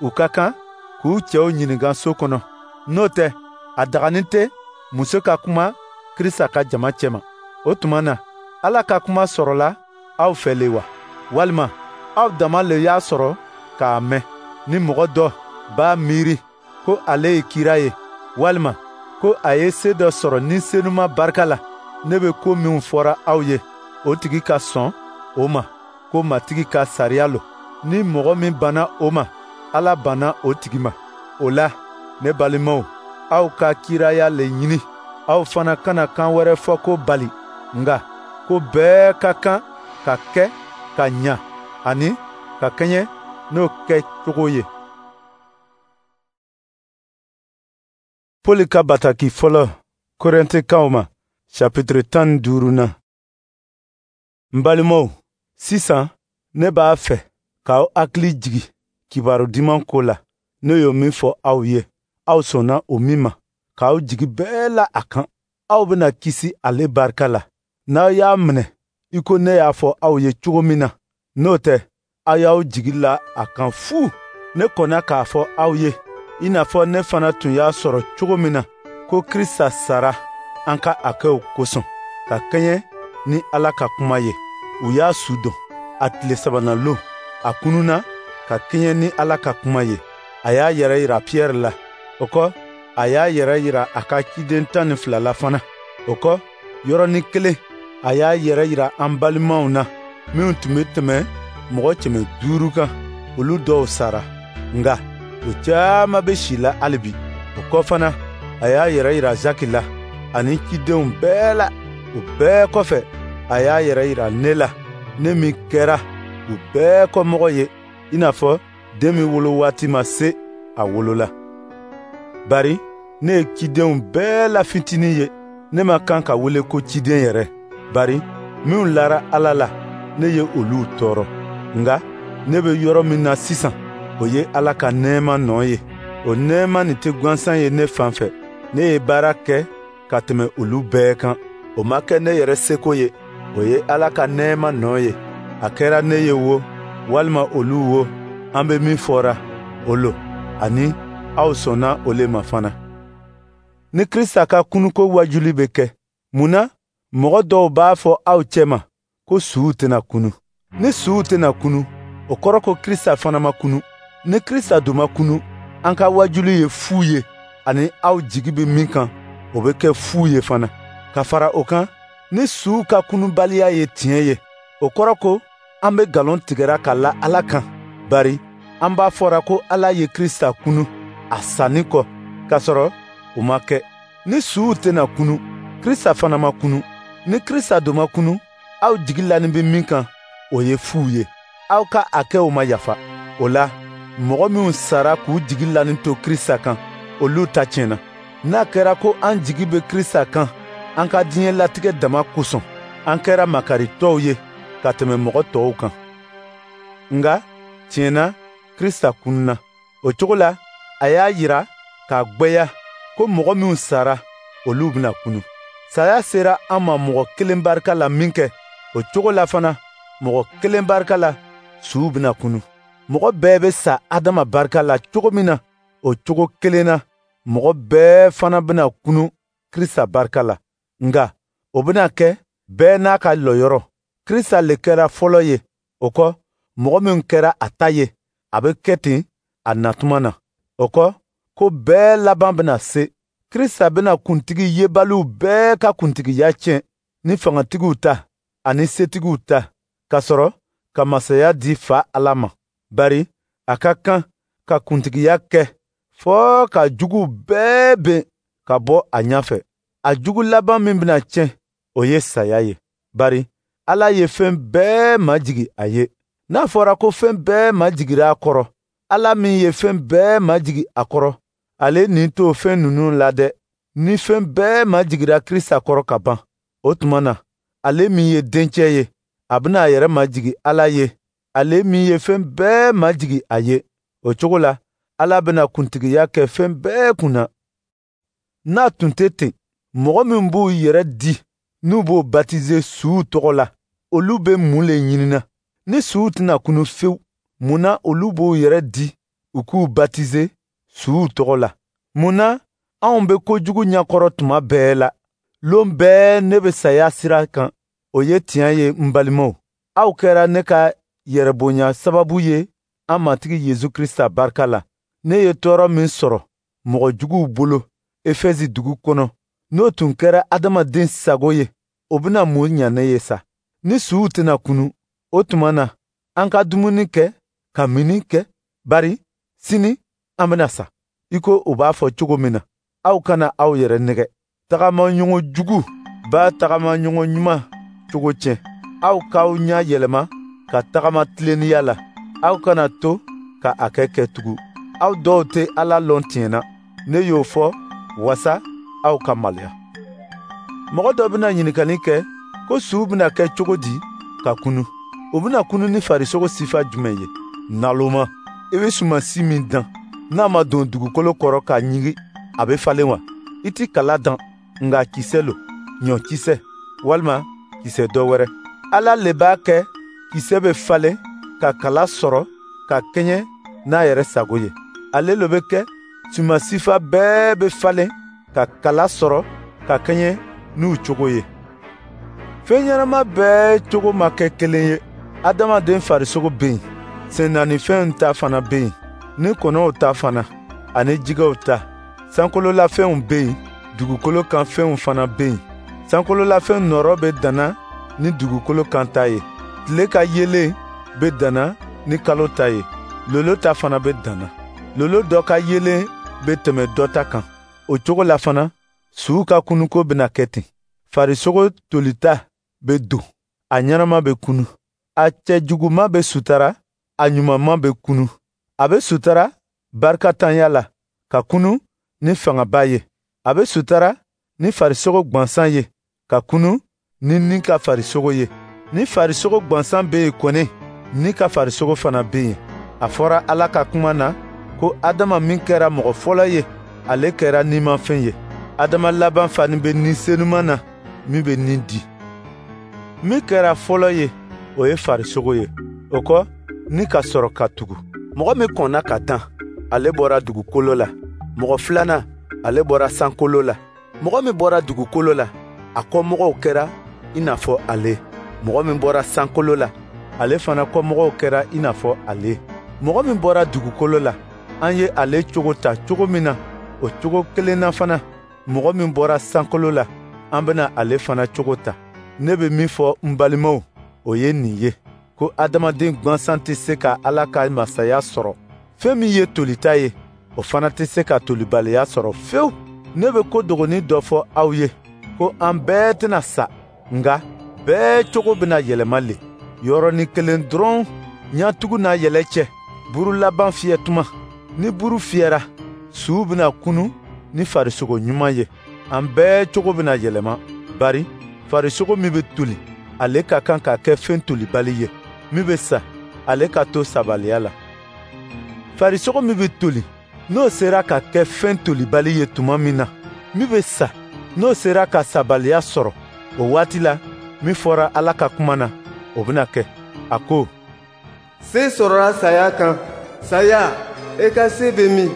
u ka kan k'u cɛw ɲininka so kɔnɔ. N'o tɛ, a daganin tɛ muso ka kuma Krista ka jama cɛma. O tuma na, Ala ka kuma sɔrɔla aw fɛ le wa? Walima aw dama le y'a sɔrɔ k'a mɛn? Ni mɔgɔ dɔ b'a miiri ko ale ye kira ye, walima ko a ye se dɔ sɔrɔ ni senuma barika la, ne bɛ ko minw fɔra aw ye, o tigi ka sɔn o ma ko Matigi ka sariya lo. Ni mɔgɔ min banna o ma, Ala banna o tigi ma. O la, ne balimaw, aw ka kiraya le ɲini. Aw fana kana kan wɛrɛ fɔ ko bali, nka ko bɛɛ ka kan ka kɛ ka ɲa ani ka kɛɲɛ n'o kɛcogo ye. Pɔli ka bataki fɔlɔ Korɛntikaw ma, chapitre tan ni duuru na. N balimaw, sisan ne b'a fɛ k'aw hakili jigi kibaru diman ko la, ne y'o min fɔ aw ye, aw sɔnna o min ma, k'aw jigi bɛɛ la a kan. Aw bɛna kisi ale barika la, n'aw y'a minɛ i ko ne y'a fɔ aw ye cogo min na. N'o tɛ, aw y'aw jigi la a kan fu. Ne kɔnna k'a fɔ aw ye, i n'a fɔ ne fana tun y'a sɔrɔ cogo min na, ko Krista sara an ka hakɛw kosɔn, ka kɛɲɛ ni Ala ka kuma ye. U y'a su dɔn. A tile sabanan lon, a kununa ka kɛɲɛ ni Ala ka kuma ye. A y'a yɛrɛ yira Piyɛri la. O kɔ, a y'a yɛrɛ yira a ka ciden tan ni fila la fana. O kɔ, yɔrɔnin kelen, a y'a yɛrɛ yira an balimaw na, minnu tun bɛ tɛmɛ mɔgɔ kɛmɛ duuru kan. Olu dɔw sara, nka u caman bɛ si la hali bi. O kɔ fana, a y'a yɛrɛ yira Zaki la, ani cidenw bɛɛ la. O bɛɛ kɔfɛ, a y'a yɛrɛ yira ne la, ne min kɛra u bɛɛ kɔmɔgɔ ye, i n'a fɔ den min wolo waati ma se, a wolola. Bari ne ye cidenw bɛɛ la fitinin ye, ne ma kan ka wele ko ciden yɛrɛ. Bari minnu lara Ala la, ne ye olu tɔɔrɔ. Nka ne bɛ yɔrɔ min na sisan, o ye Ala ka nɛɛma nɔ ye. O nɛɛma nin tɛ gansan ye ne fan fɛ. Ne ye baara kɛ ka tɛmɛ olu bɛɛ kan. O ma kɛ ne yɛrɛ seko ye, o ye Ala ka nɛɛma nɔ ye. A kɛra ne ye wo, walima olu wo, an bɛ min fɔra, o lo, ani aw sɔnna o le ma fana. Ni Krista ka kunuko wajuli bɛ kɛ, mun na mɔgɔ dɔw b'a fɔ aw cɛma ko suw tɛna kunu? Ni suw tɛna kunu, o kɔrɔ ko Krista fana ma kunu. Ni Krista dun ma kunu, an ka wajuli ye fu ye, ani aw jigi bɛ min kan, o bɛ kɛ fu ye fana. Ka fara o kan, ni suw ka kunubaliya ye tiɲɛ ye, o kɔrɔ ko an bɛ nkalon tigɛra ka la Ala kan. Bari an b'a fɔra ko Ala ye Krista kunu a sanni kɔ, k'a sɔrɔ o ma kɛ. Ni suw tɛna kunu, Krista fana ma kunu. Ni Krista dun ma kunu, aw jigi lanin bɛ min kan, o ye fu ye. Aw ka hakɛw ma yafa. O la, mɔgɔ minnu sara k'u jigi lanin to Krista kan, olu ta tiɲɛna. N'a kɛra ko an jigi bɛ Krista kan, an ka diɲɛ latigɛ dama kosɔn, an kɛra makaritɔw ye ka tɛmɛ mɔgɔ tɔw kan. Nka tiɲɛ na, Krista kununa. O cogo la, a y'a yira k'a gwɛya ko mɔgɔ minnu sara, olu bɛna kunu. Saya sera an ma mɔgɔ kelen barika la minkɛ, o cogo la fana, mɔgɔ kelen barika la, suw bɛna kunu. Mɔgɔ bɛɛ bɛ sa Adama barika la cogo min na, o cogo kelen na, mɔgɔ bɛɛ fana bɛna kunu Krista barika la. Nka o bɛna kɛ bɛɛ n'a ka lɔyɔrɔ. Krista le kɛra fɔlɔ ye, o kɔ, mɔgɔ min kɛra a ta ye, a bɛ kɛ ten a natuma na. O kɔ, ko bɛɛ laban bɛna se. Krista bɛna kuntigi yebaliw bɛɛ ka kuntigiya tiɲɛ, ni fangatigiw ta ani setigiw ta, k'a sɔrɔ ka masaya di Fa Ala ma. Bari a ka kan ka kuntigiya kɛ fɔɔ ka juguw bɛɛ ben ka bɔ a ɲɛfɛ. A jugu laban min bɛna tiɲɛ, o ye saya ye. Bari Ala ye fɛn bɛɛ majigi a ye. N'a fɔra ko fɛn bɛɛ majigira a kɔrɔ, Ala min ye fɛn bɛɛ majigi a kɔrɔ, ale nin t'o fɛn ninnu la dɛ. Ni fɛn bɛɛ majigira Krista kɔrɔ ka ban, o tuma na, ale min ye dencɛ ye, a bɛna a yɛrɛ majigi Ala ye, ale min ye fɛn bɛɛ majigi a ye. O cogo la, Ala bɛna kuntigiya kɛ fɛn bɛɛ kunna. N'a tun tɛ ten, mɔgɔ min b'u yɛrɛ di n'u b'o batize suw tɔgɔ la, olu bɛ mun le ɲinina? Ni suw tɛna kunu fewu, mun na olu b'u yɛrɛ di u k'u batize suw tɔgɔ la? Mun na anw bɛ kojugu ɲɛkɔrɔ tuma bɛɛ la? Lon bɛɛ ne bɛ saya sira kan. O ye tiɲɛ ye, n balimaw. Aw kɛra ne ka yɛrɛbonya sababu ye an Matigi Yesu Krista barika la. Ne ye tɔɔrɔ min sɔrɔ mɔgɔ juguw bolo Efɛsi dugu kɔnɔ, n'o tun kɛra adamaden sago ye, o bɛna mun ɲa ne ye sa? Ni suw tɛna kunu, o tuma na, an ka dumuni kɛ ka minni kɛ, bari sini an bɛna sa, i ko u b'a fɔ cogo min na. Aw kana aw yɛrɛ nɛgɛ. Tagamaɲɔgɔn jugu b'a tagamaɲɔgɔn ɲuman cogo tiɲɛ. Aw k'aw ɲɛ yɛlɛma ka tagama tilennenya la. Aw kana to ka a kɛ kɛ tugun. Aw dɔw tɛ Ala lɔn tiɲɛ na. Ne y'o fɔ wasa aw ka maloya. Mɔgɔ dɔ bɛna ɲininkali kɛ ko suw bɛna kɛ cogo di ka kunu, o bɛna kunu ni farisogo sifa jumɛn ye? Naloma, i bɛ sumansi min dan, n'a ma don dugukolo kɔrɔ ka ɲigin, a bɛ falen wa? I ti kala dan, nka kisɛ lo, ɲɔkisɛ walima kisɛ dɔ wɛrɛ. Ala le b'a kɛ kisɛ bɛ falen ka kala sɔrɔ ka kɛɲɛ n'a yɛrɛ sago ye. Ale le bɛ kɛ suman sifa bɛɛ bɛ falen ka kala sɔrɔ ka kɛɲɛ n'u cogo ye. Fɛn ɲɛnama bɛɛ cogo ma kɛ kelen ye. Adamaden farisogo bɛ yen, sennaanifɛnw ta fana bɛ yen, ni kɔnɔw ta fana, ani jɛgɛw ta. Sankololafɛnw bɛ yen, dugukolo kan fɛnw fana bɛ yen. Sankololafɛn nɔrɔ bɛ danna ni dugukolo kan ta ye. Tile ka yeelen bɛ danna ni kalo ta ye. Lolo ta fana bɛ danna. Lolo dɔ ka yeelen bɛ tɛmɛ dɔ ta kan. O cogo la fana, suw ka kunuko bɛna kɛ ten. Farisogo tolita bɛ don, a ɲɛnama bɛ kunu. A cɛjuguma bɛ sutara, a ɲumanma bɛ kunu. A bɛ sutara barikatanya la, ka kunu ni fangaba ye. A bɛ sutara ni farisogo gwansan ye, ka kunu ni ni ka farisogo ye. Ni farisogo gwansan bɛ yen kɔni, ni ka farisogo fana bɛ yen. A fɔra Ala ka kuma na ko Adama min kɛra mɔgɔ fɔlɔ ye, ale kɛra nimafɛn ye. Adama laban fani bɛ ni senuman na min bɛ ni di. Min kɛra fɔlɔ ye, o ye farisogo ye. O kɔ, ni ka sɔrɔ ka tugu. Mɔgɔ min kɔnna ka dan, ale bɔra dugukolo la. Mɔgɔ filanan, ale bɔra sankolo la. Mɔgɔ min bɔra dugukolo la, a kɔmɔgɔw kɛra i n'a fɔ ale. Mɔgɔ min bɔra sankolo la, ale fana kɔmɔgɔw kɛra i n'a fɔ ale. Mɔgɔ min bɔra dugukolo la, an ye ale cogo ta cogo min na, o cogo kelen na fana, mɔgɔ min bɔra sankolo la, an bɛna ale fana cogo ta. Ne bɛ min fɔ n balimaw, o ye nin ye, ko adamaden gansan tɛ se ka Ala ka masaya sɔrɔ. Fɛn min ye tolita ye, o fana tɛ se ka tolibaliya sɔrɔ fewu. Ne bɛ ko dogoni dɔ fɔ aw ye, ko an bɛɛ tɛna sa, nka bɛɛ cogo bɛna yɛlɛma le. Yɔrɔnin kelen dɔrɔn, ɲatugu n'a yɛlɛ cɛ, buru laban fiyɛ tuma. Ni buru fiyɛra, suw bɛna kunu ni farisogo ɲuman ye. An bɛɛ cogo bɛna yɛlɛma, bari farisogo min bɛ toli, ale ka kan ka kɛ fɛn tolibali ye. Min bɛ sa, ale ka to sabaliya la. Farisogo min bɛ toli, n'o sera ka kɛ fɛn tolibali ye tuma min na, min bɛ sa, n'o sera ka sabaliya sɔrɔ, o waati la, min fɔra Ala ka kuma na, o bɛna kɛ. A ko: Se sɔrɔla saya kan. Saya, e ka se bɛ min?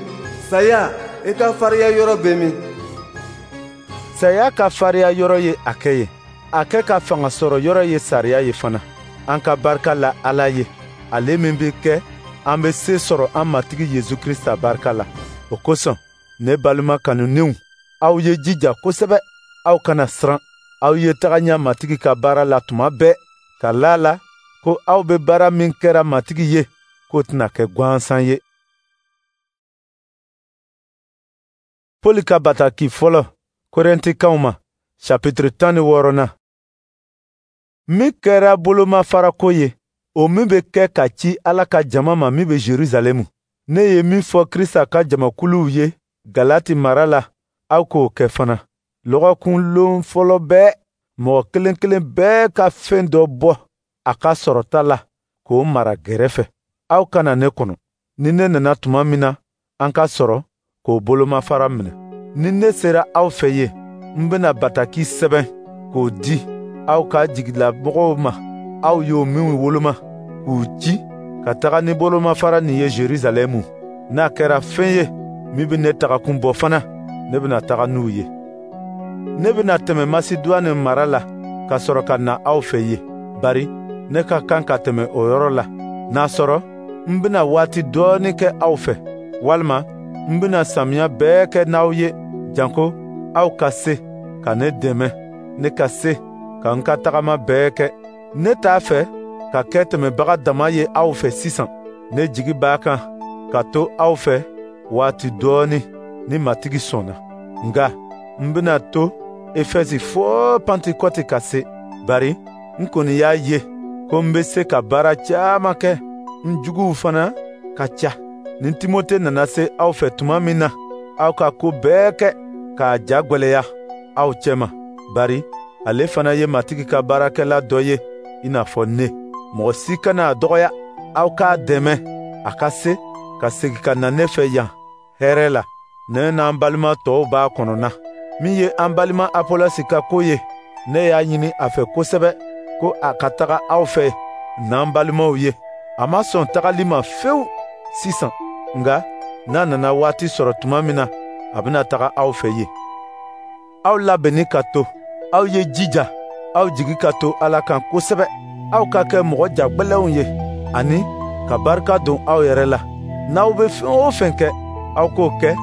Saya, e ka farinya yɔrɔ bɛ min? Saya ka farinya yɔrɔ ye a kɛ ye. A kɛ ka fanga sɔrɔ yɔrɔ ye sariya ye fana. An ka barika la Ala ye, ale min bɛ kɛ an bɛ se sɔrɔ an Matigi Yesu Krista barika la. O kosɔn, ne balima kanunenw, aw ye jija kosɛbɛ, aw kana siran. Aw ye taga ɲɛ Matigi ka baara la tuma bɛɛ, ka la la ko aw bɛ baara min kɛra Matigi ye, k'o tɛna kɛ gansan ye. Poli ka bataki fɔlɔ Korɛntikaw ma, chapitre tan ni wɔɔrɔnan. Min kɛra bolomafarako ye, o min bɛ kɛ ka ci Ala ka jama ma min bɛ Jerusalɛmu. Ne ye min fɔ Krista ka jamakuluw ye Galati mara la, aw k'o kɛ fana. Lɔgɔkun lon fɔlɔ bɛɛ, mɔgɔ kelen kelen bɛɛ ka fɛn dɔ bɔ a ka sɔrɔta la k'o mara gɛrɛfɛ. Aw kana ne kɔnɔ. Ni ne nana tuma min na, an ka sɔrɔ k'o bolomafara minɛ. Ni ne sera aw fɛ yen, n bɛna bataki sɛbɛn k'o di aw ka jigilamɔgɔw ma, aw y'o minw woloma, k'u ci ka taga ni bolomafara nin ye Jerusalɛmu. N'a kɛra fɛn ye min bɛ ne tagakun bɔ fana, ne bɛna taga n'u ye. Ne bɛna tɛmɛ Maseduwane mara la ka sɔrɔ ka na aw fɛ yen, bari ne ka kan ka tɛmɛ o yɔrɔ la. N'a sɔrɔ n bɛna waati dɔɔnin kɛ aw fɛ, walima n bɛna samiya bɛɛ kɛ n'aw ye, janko aw ka se ka ne dɛmɛ, ne ka se ka n ka tagama bɛɛ kɛ. Ne t'a fɛ ka kɛ tɛmɛbaga dama ye aw fɛ sisan. Ne jigi b'a kan ka to aw fɛ waati dɔɔnin ni Matigi sɔnna. Nka n bɛna to Efɛsi fo Pantekɔte ka se, bari n kɔni y'a ye ko n bɛ se ka baara caman kɛ, n juguw fana ka ca. Ni Timote nana se aw fɛ tuma min na, aw ka ko bɛɛ kɛ k'a ja gwɛlɛya aw cɛma, bari ale fana ye Matigi ka baarakɛla dɔ ye i n'a fɔ ne. Mɔgɔ si kana a dɔgɔya. Aw k'a dɛmɛ a ka se ka segin ka na ne fɛ yan hɛrɛ la. Ne n'an balima tɔw b'a kɔnɔna. Min ye an balima Apolɔsi ka ko ye, ne y'a ɲini a fɛ kosɛbɛ ko a ka taga aw fɛ n'an balimaw ye. A ma sɔn tagali ma fewu sisan, nka n'a nana waati sɔrɔ tuma min na, a bɛna taga aw fɛ yen. Aw labɛnni ka to, aw ye jija, aw jigi ka to Ala kan kosɛbɛ. Aw ka kɛ mɔgɔ jagbɛlɛnw ye ani ka barika don aw yɛrɛ la. N'aw bɛ fɛn o fɛn kɛ, aw k'o kɛ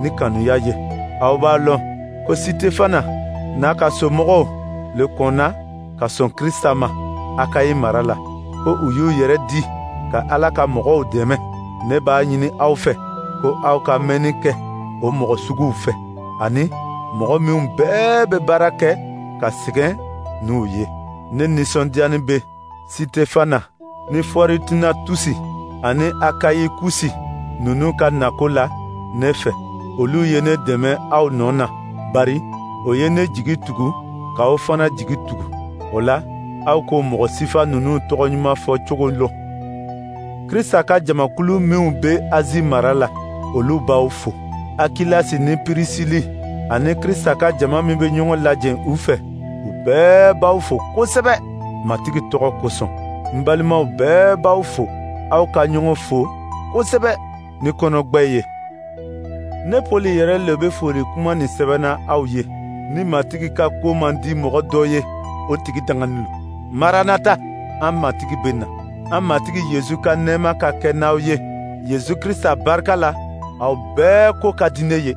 ni kanuya ye. Aw b'a lɔn ko Sitefana n'a ka somɔgɔw le kɔnna ka sɔn Krista ma Akayi mara la, ko u y'u yɛrɛ di ka Ala ka mɔgɔw dɛmɛ. Ne b'a ɲini aw fɛ ko aw ka mɛnni kɛ o mɔgɔ suguw fɛ, ani mɔgɔ minw bɛɛ bɛ baara kɛ ka sɛgɛn n'u ye. Ne nisɔndiyani bɛ Sitefana ni Fɔritunatusi ani Akayikusi ninnu ka nako la ne fɛ. Olu ye ne dɛmɛ aw nɔ na, bari o ye ne jigi tugu k'aw fana jigi tugu. O la, aw k'o mɔgɔ sifa ninnu tɔgɔ ɲuman fɔ cogo lɔn. Krista ka jamakulu minw bɛ Azi mara la, olu b'aw fo. Akilasi ni Pirisili ani Krista ka jama min bɛ ɲɔgɔn lajɛ u fɛ, u bɛɛ b'aw fo kosɛbɛ Matigi tɔgɔ kosɔn. N balimaw bɛɛ b'aw fo. Aw ka ɲɔgɔn fo kosɛbɛ ni kɔnɔgbɛ ye. Ne Pɔli yɛrɛ le bɛ foli kuma nin sɛbɛnna aw ye. Ni Matigi ka ko man di mɔgɔ dɔ ye, o tigi danganin lo. Maranata, an Matigi bɛ na. An Matigi Yezu ka nɛɛma ka kɛ n'aw ye. Yezu Krista barika la, aw bɛɛ ko ka di ne ye.